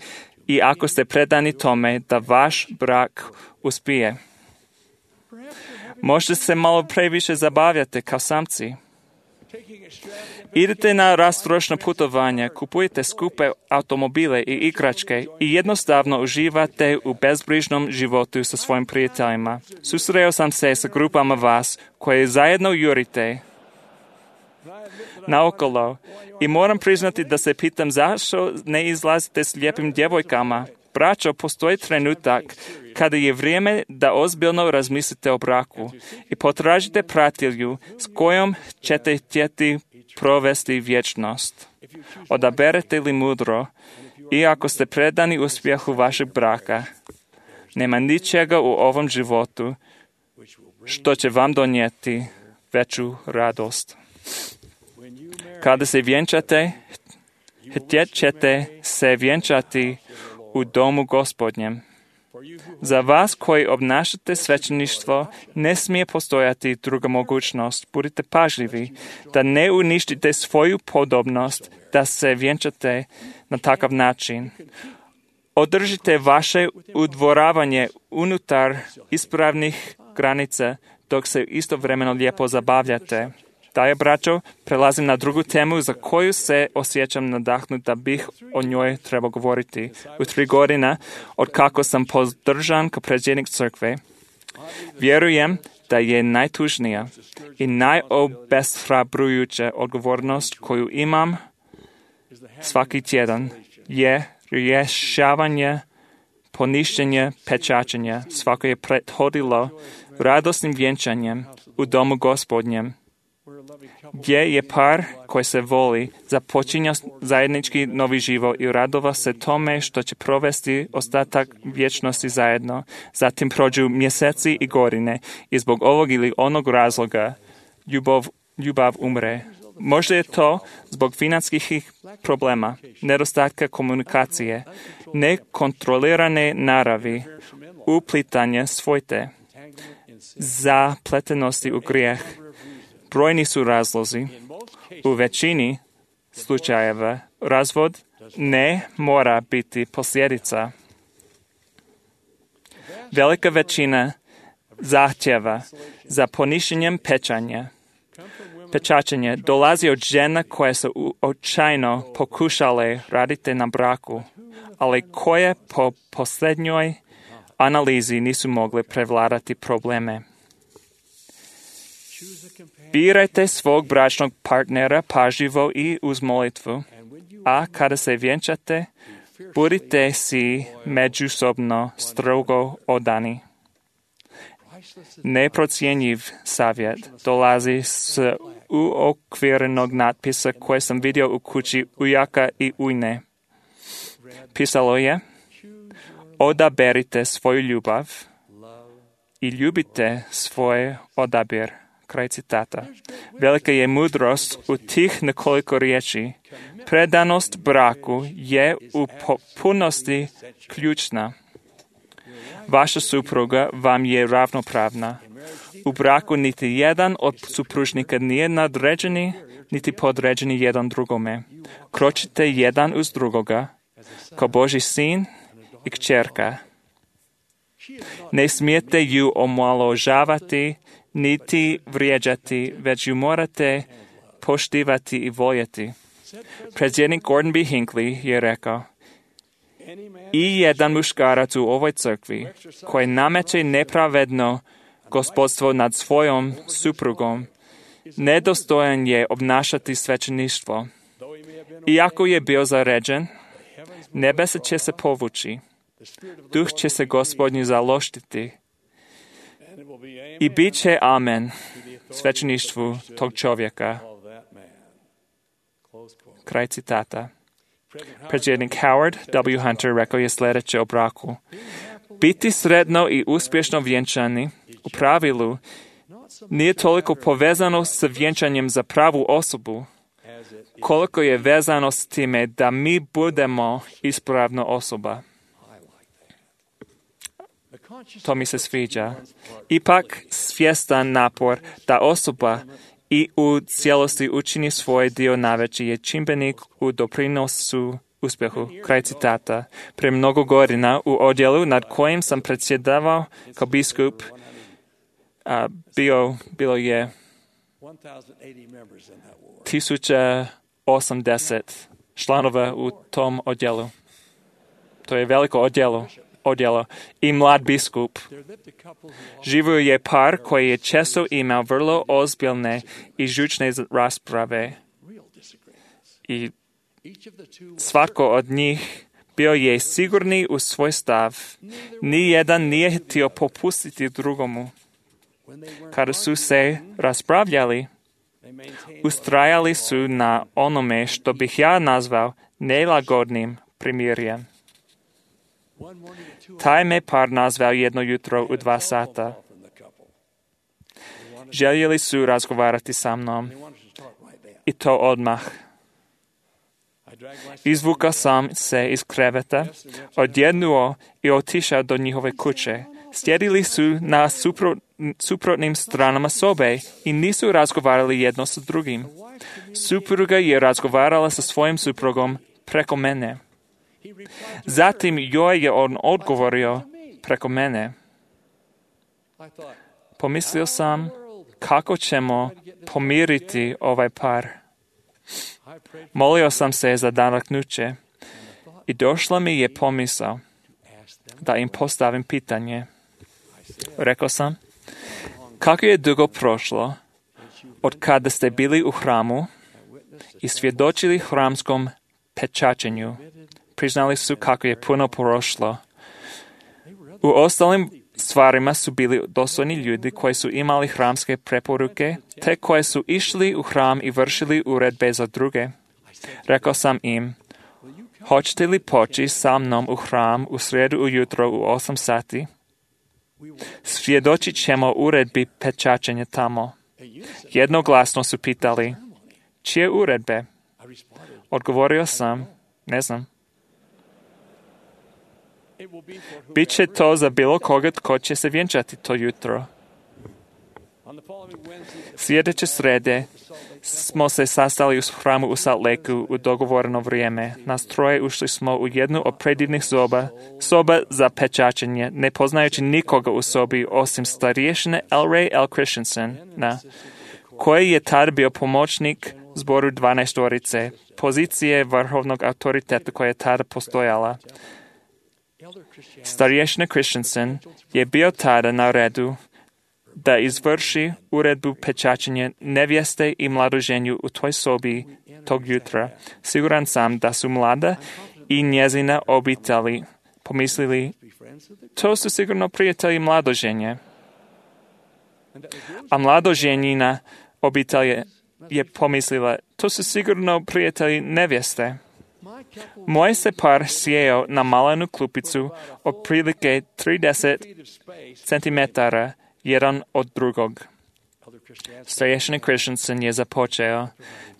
i ako ste predani tome da vaš brak uspije. Možda se malo previše zabavljate kao samci. Idete na rastrošna putovanja, kupujete skupe automobile i igračke i jednostavno uživate u bezbrižnom životu sa svojim prijateljima. Susreo sam se sa grupama vas koje zajedno jurite naokolo i moram priznati da se pitam zašto ne izlazite s lijepim djevojkama. Braćo, postoji trenutak kada je vrijeme da ozbiljno razmislite o braku i potražite pratitelju s kojom ćete htjeti provesti vječnost. Odaberete li mudro i ako ste predani uspjehu vašeg braka, nema ničega u ovom životu što će vam donijeti veću radost. Kada se vjenčate, htjet ćete se vjenčati u domu Gospodnjem. Za vas koji obnašate svećeništvo ne smije postojati druga mogućnost. Budite pažljivi da ne uništite svoju podobnost da se vjenčate na takav način. Održite vaše udvoravanje unutar ispravnih granica dok se istovremeno lijepo zabavljate. Dalje, braćo, prelazim na drugu temu za koju se osjećam nadahnut da bih o njoj trebao govoriti. U 3 godine, od kako sam podržan kao predsjednik crkve, vjerujem da je najtužnija i najobeshrabrujuća odgovornost koju imam svaki tjedan je rješavanje poništenja pečačenja. Svako je prethodilo radosnim vjenčanjem u domu Gospodnjem, gdje je par koji se voli započinja zajednički novi život i radova se tome što će provesti ostatak vječnosti zajedno. Zatim prođu mjeseci i godine i zbog ovog ili onog razloga ljubav umre. Možda je to zbog financijskih problema, nedostatka komunikacije, nekontrolirane naravi, uplitanje svojte, zapletenosti u grijeh. Brojni su razlozi. U većini slučajeva razvod ne mora biti posljedica. Velika većina zahtjeva za poništenjem pečačenja dolazi od žena koje su očajno pokušale raditi na braku, ali koje po posljednjoj analizi nisu mogle prevladati probleme. Birajte svog bračnog partnera pažljivo i uz molitvu, a kada se vjenčate, budite si međusobno strogo odani. Neprocjenjiv savjet dolazi s uokvirenog natpisa koje sam vidio u kući ujaka i ujne. Pisalo je: odaberite svoju ljubav i ljubite svoj odabir. Kraj citata. Velika je mudrost u tih nekoliko riječi. Predanost braku je u potpunosti ključna. Vaša supruga vam je ravnopravna. U braku niti jedan od supružnika nije nadređeni, niti podređeni jedan drugome. Kročite jedan uz drugoga, kao Božji sin i kćerka. Ne smijete ju omalovažavati, niti vrijeđati, već ju morate poštivati i voljeti. Predsjednik Gordon B. Hinckley je rekao: i jedan muškarac u ovoj crkvi koji nameće nepravedno gospodstvo nad svojom suprugom, nedostojan je obnašati svećeništvo. Iako je bio zaređen, nebesa će se povući, duh će se Gospodnji zaloštiti i bit će amen svećeništvu tog čovjeka. Kraj citata. Predsjednik Howard W. Hunter rekao je sljedeće o braku: biti sretno i uspješno vjenčani u pravilu nije toliko povezano s vjenčanjem za pravu osobu, koliko je vezano s time da mi budemo ispravna osoba. To mi se sviđa. Ipak svjestan napor da osoba i u cijelosti učini svoj dio najveći je čimbenik u doprinosu uspjehu. Kraj citata. Pre mnogo godina u odjelu nad kojim sam predsjedavao kao biskup bilo je 1080 članova u tom odjelu. To je veliko odjelo. I mlad biskup. Živio je par koji je često imao vrlo ozbiljne i žučne rasprave. I svatko od njih bio je sigurni u svoj stav. Nijedan nije htio popustiti drugomu. Kada su se raspravljali, ustrajali su na onome što bih ja nazvao nelagodnim primirjem. Taj me par nazvao jedno jutro u 2 sata. Željeli su razgovarati sa mnom. I to odmah. Izvukao sam se iz kreveta, odjednuo i otišao do njihove kuće. Sjedili su na suprotnim stranama sobe i nisu razgovarali jedno sa drugim. Supruga je razgovarala sa svojim suprugom preko mene. Zatim joj je on odgovorio preko mene. Pomislio sam kako ćemo pomiriti ovaj par. Molio sam se za nadahnuće i došla mi je pomisao da im postavim pitanje. Rekao sam, kako je dugo prošlo od kada ste bili u hramu i svjedočili hramskom pečačenju? Priznali su kako je puno prošlo. U ostalim stvarima su bili dostojni ljudi koji su imali hramske preporuke, te koji su išli u hram i vršili uredbe za druge. Rekao sam im, hoćete li poći sa mnom u hram u srijedu ujutro u 8 sati? Svjedočit ćemo uredbi pečačenja tamo. Jednoglasno su pitali, čije uredbe? Odgovorio sam, ne znam. Biće to za bilo koga tko će se vjenčati to jutro. Sljedeće srede smo se sastali u hramu u Salt Lakeu u dogovoreno vrijeme. Nas troje ušli smo u jednu od predivnih soba za pečačenje, ne poznajući nikoga u sobi osim starješine L. Ray L. Christensen, koji je tad bio pomoćnik zboru 12-orice, pozicije vrhovnog autoriteta koja je tada postojala. Starješina Christensen je bio tada na redu da izvrši uredbu pečačenja nevjeste i mladoženju u toj sobi tog jutra. Siguran sam da su mlada i njezina obitelji pomislili, to su sigurno prijatelji mladoženje. A mladoženjina obitelj je pomislila, to su sigurno prijatelji nevjeste. Moj se par sjeo na malenu klupicu otprilike 30 cm jedan od drugog. Starješina Christensen je započeo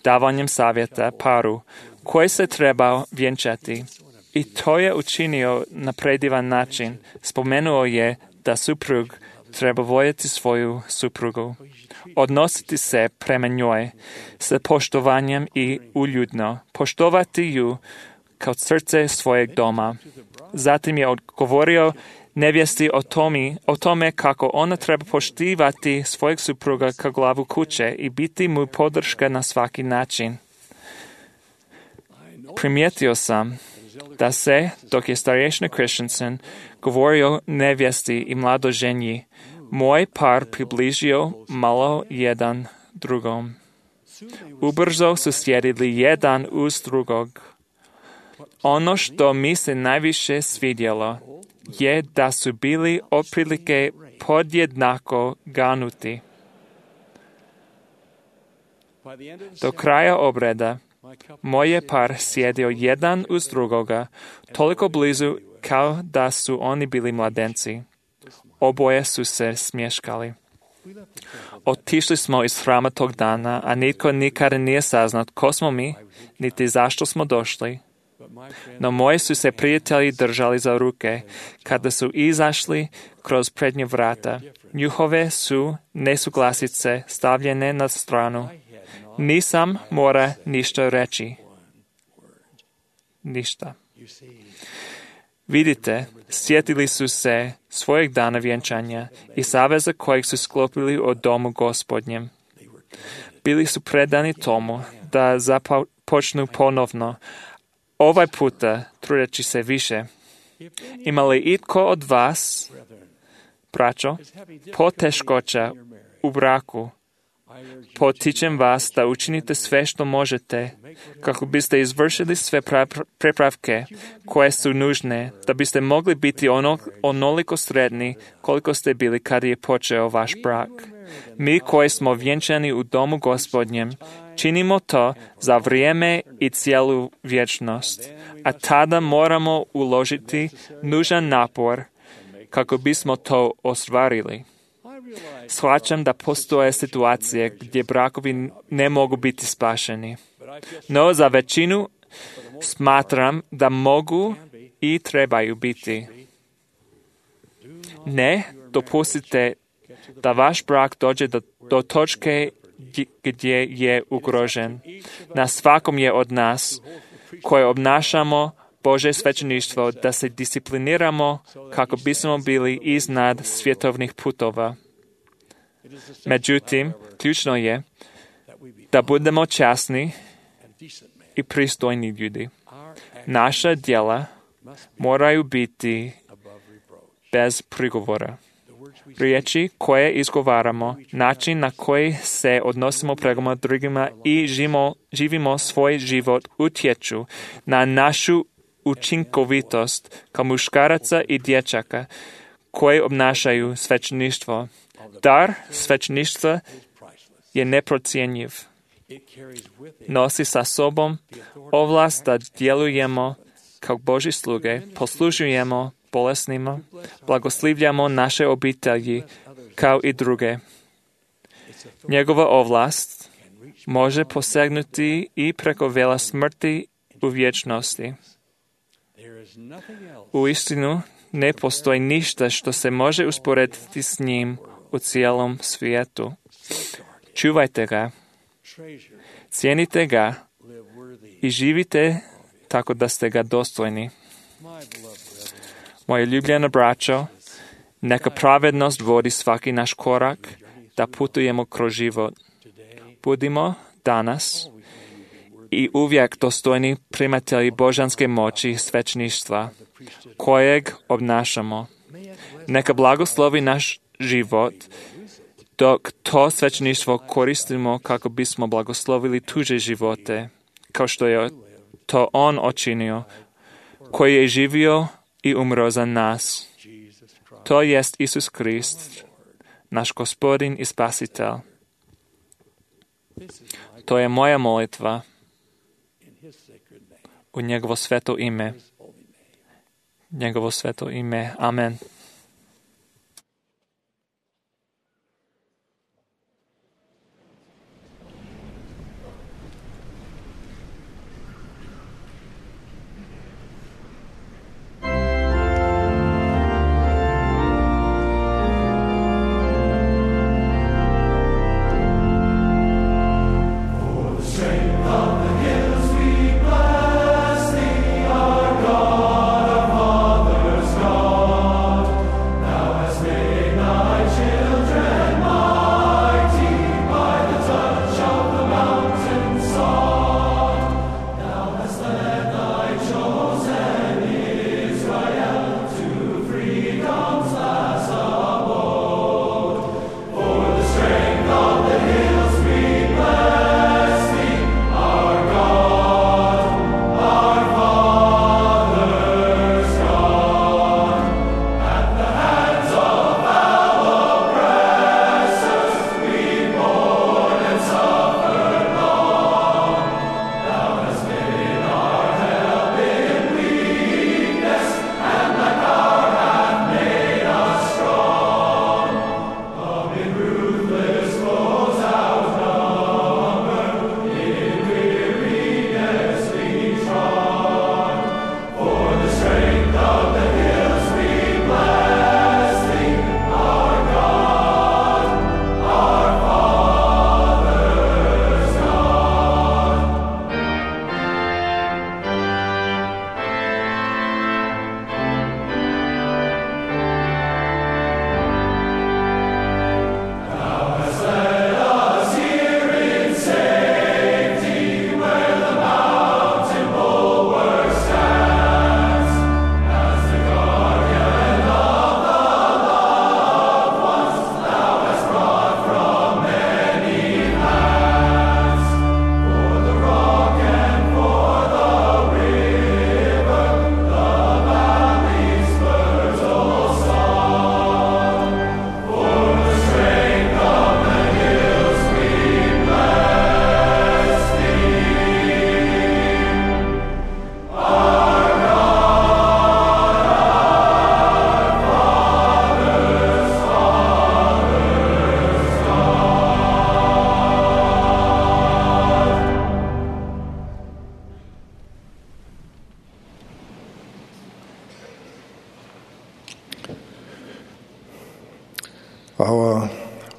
davanjem savjeta paru koji se trebao vjenčati. I to je učinio na predivan način. Spomenuo je da suprug treba voljeti svoju suprugu, odnositi se prema njoj sa poštovanjem i uljudno, poštovati ju kao srce svojeg doma. Zatim je odgovorio nevjesti o tome kako ona treba poštivati svojeg supruga kao glavu kuće i biti mu podrška na svaki način. Primijetio sam da se, dok je starješina Christensen govorio nevjesti i mladoženji, moj par približio malo jedan drugom. Ubrzo su sjedili jedan uz drugog. Ono što mi se najviše svidjelo je da su bili otprilike podjednako ganuti. Do kraja obreda moj je par sjedio jedan uz drugoga, toliko blizu kao da su oni bili mladenci. Oboje su se smješkali. Otišli smo iz hrama tog dana, a nitko nikada nije saznao ko smo mi, niti zašto smo došli. No moji su se prijatelji držali za ruke, kada su izašli kroz prednje vrata. Njihove su nesuglasice stavljene na stranu. Nisam mora ništa reći. Ništa. Vidite, sjetili su se svojeg dana vjenčanja i saveza kojeg su sklopili o domu Gospodnjem. Bili su predani tomu da započnu ponovno, ovaj puta trudeći se više. Ima li itko od vas, braćo, poteškoća u braku? Potičem vas da učinite sve što možete kako biste izvršili sve prepravke koje su nužne, da biste mogli biti onoliko sretni koliko ste bili kad je počeo vaš brak. Mi koji smo vjenčani u domu Gospodnjem, činimo to za vrijeme i cijelu vječnost, a tada moramo uložiti nužan napor kako bismo to ostvarili. Shvaćam da postoje situacije gdje brakovi ne mogu biti spašeni, no za većinu smatram da mogu i trebaju biti. Ne dopustite da vaš brak dođe do točke gdje je ugrožen. Na svakom je od nas koji obnašamo Božje svećeništvo da se discipliniramo kako bismo bili iznad svjetovnih putova. Međutim, ključno je da budemo časni i pristojni ljudi. Naša djela moraju biti bez prigovora. Riječi koje izgovaramo, način na koji se odnosimo prema drugima i živimo svoj život utječu na našu učinkovitost kao muškaraca i dječaka koji obnašaju svećeništvo. Dar svećeništva je neprocjenjiv. Nosi sa sobom ovlast da djelujemo kao Božji sluge, poslužujemo bolesnima, blagoslivljamo naše obitelji kao i druge. Njegova ovlast može posegnuti i preko vela smrti u vječnosti. Uistinu ne postoji ništa što se može usporediti s njim u cijelom svijetu. Čuvajte ga, cijenite ga i živite tako da ste ga dostojni. Moje ljubljeno braćo, neka pravednost vodi svaki naš korak da putujemo kroz život. Budimo danas i uvijek dostojni primatelji božanske moći i svećništva, kojeg obnašamo. Neka blagoslovi naš život, dok to svećništvo koristimo kako bismo blagoslovili tuđe živote, kao što je to on učinio, koji je živio i umro za nas. To jest Isus Krist, naš Gospodin i Spasitelj. To je moja molitva u njegovo sveto ime. Njegovo sveto ime. Amen. God, our Father's God.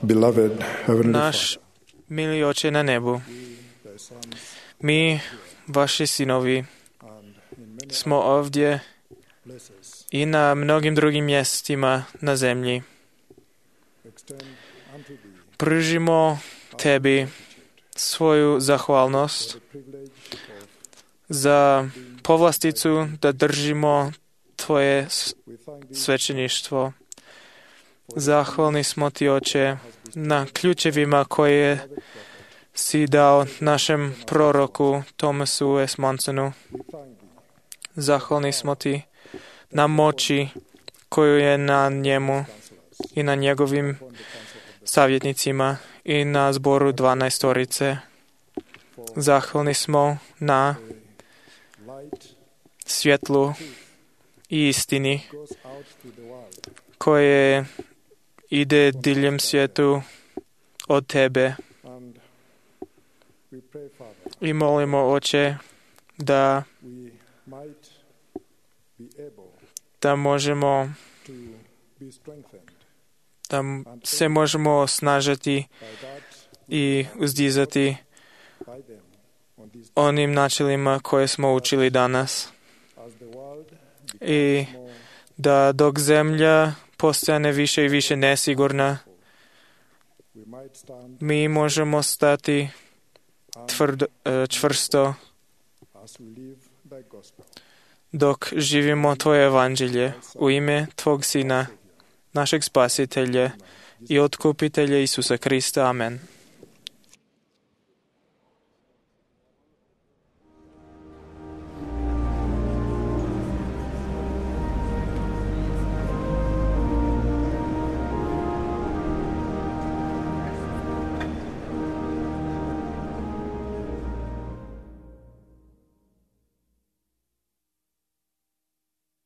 beloved Heavenly Naš milý Oče na nebu, my, vaši synovi, smo ovdje i na mnogim drugim mjestima na zemlji. Pružimo tebi svoju zahvalnost za povlasticu da držimo tvoje svećeništvo. Zahvalni smo ti, Oče, na ključevima koje si dao našem proroku Thomasu S. Monsonu. Zahvalni smo ti na moći koju je na njemu i na njegovim savjetnicima i na zboru 12. Zahvalni smo na svjetlu i istini koje ide diljem svijetu od tebe. I molimo, Oče, da možemo da se možemo osnažiti i uzdizati onim načelima koje smo učili danas. I da dok zemlja postane više i više nesigurna, mi možemo stati čvrsto dok živimo tvoje evanđelje u ime tvog Sina, našeg Spasitelja i Otkupitelja Isusa Krista. Amen.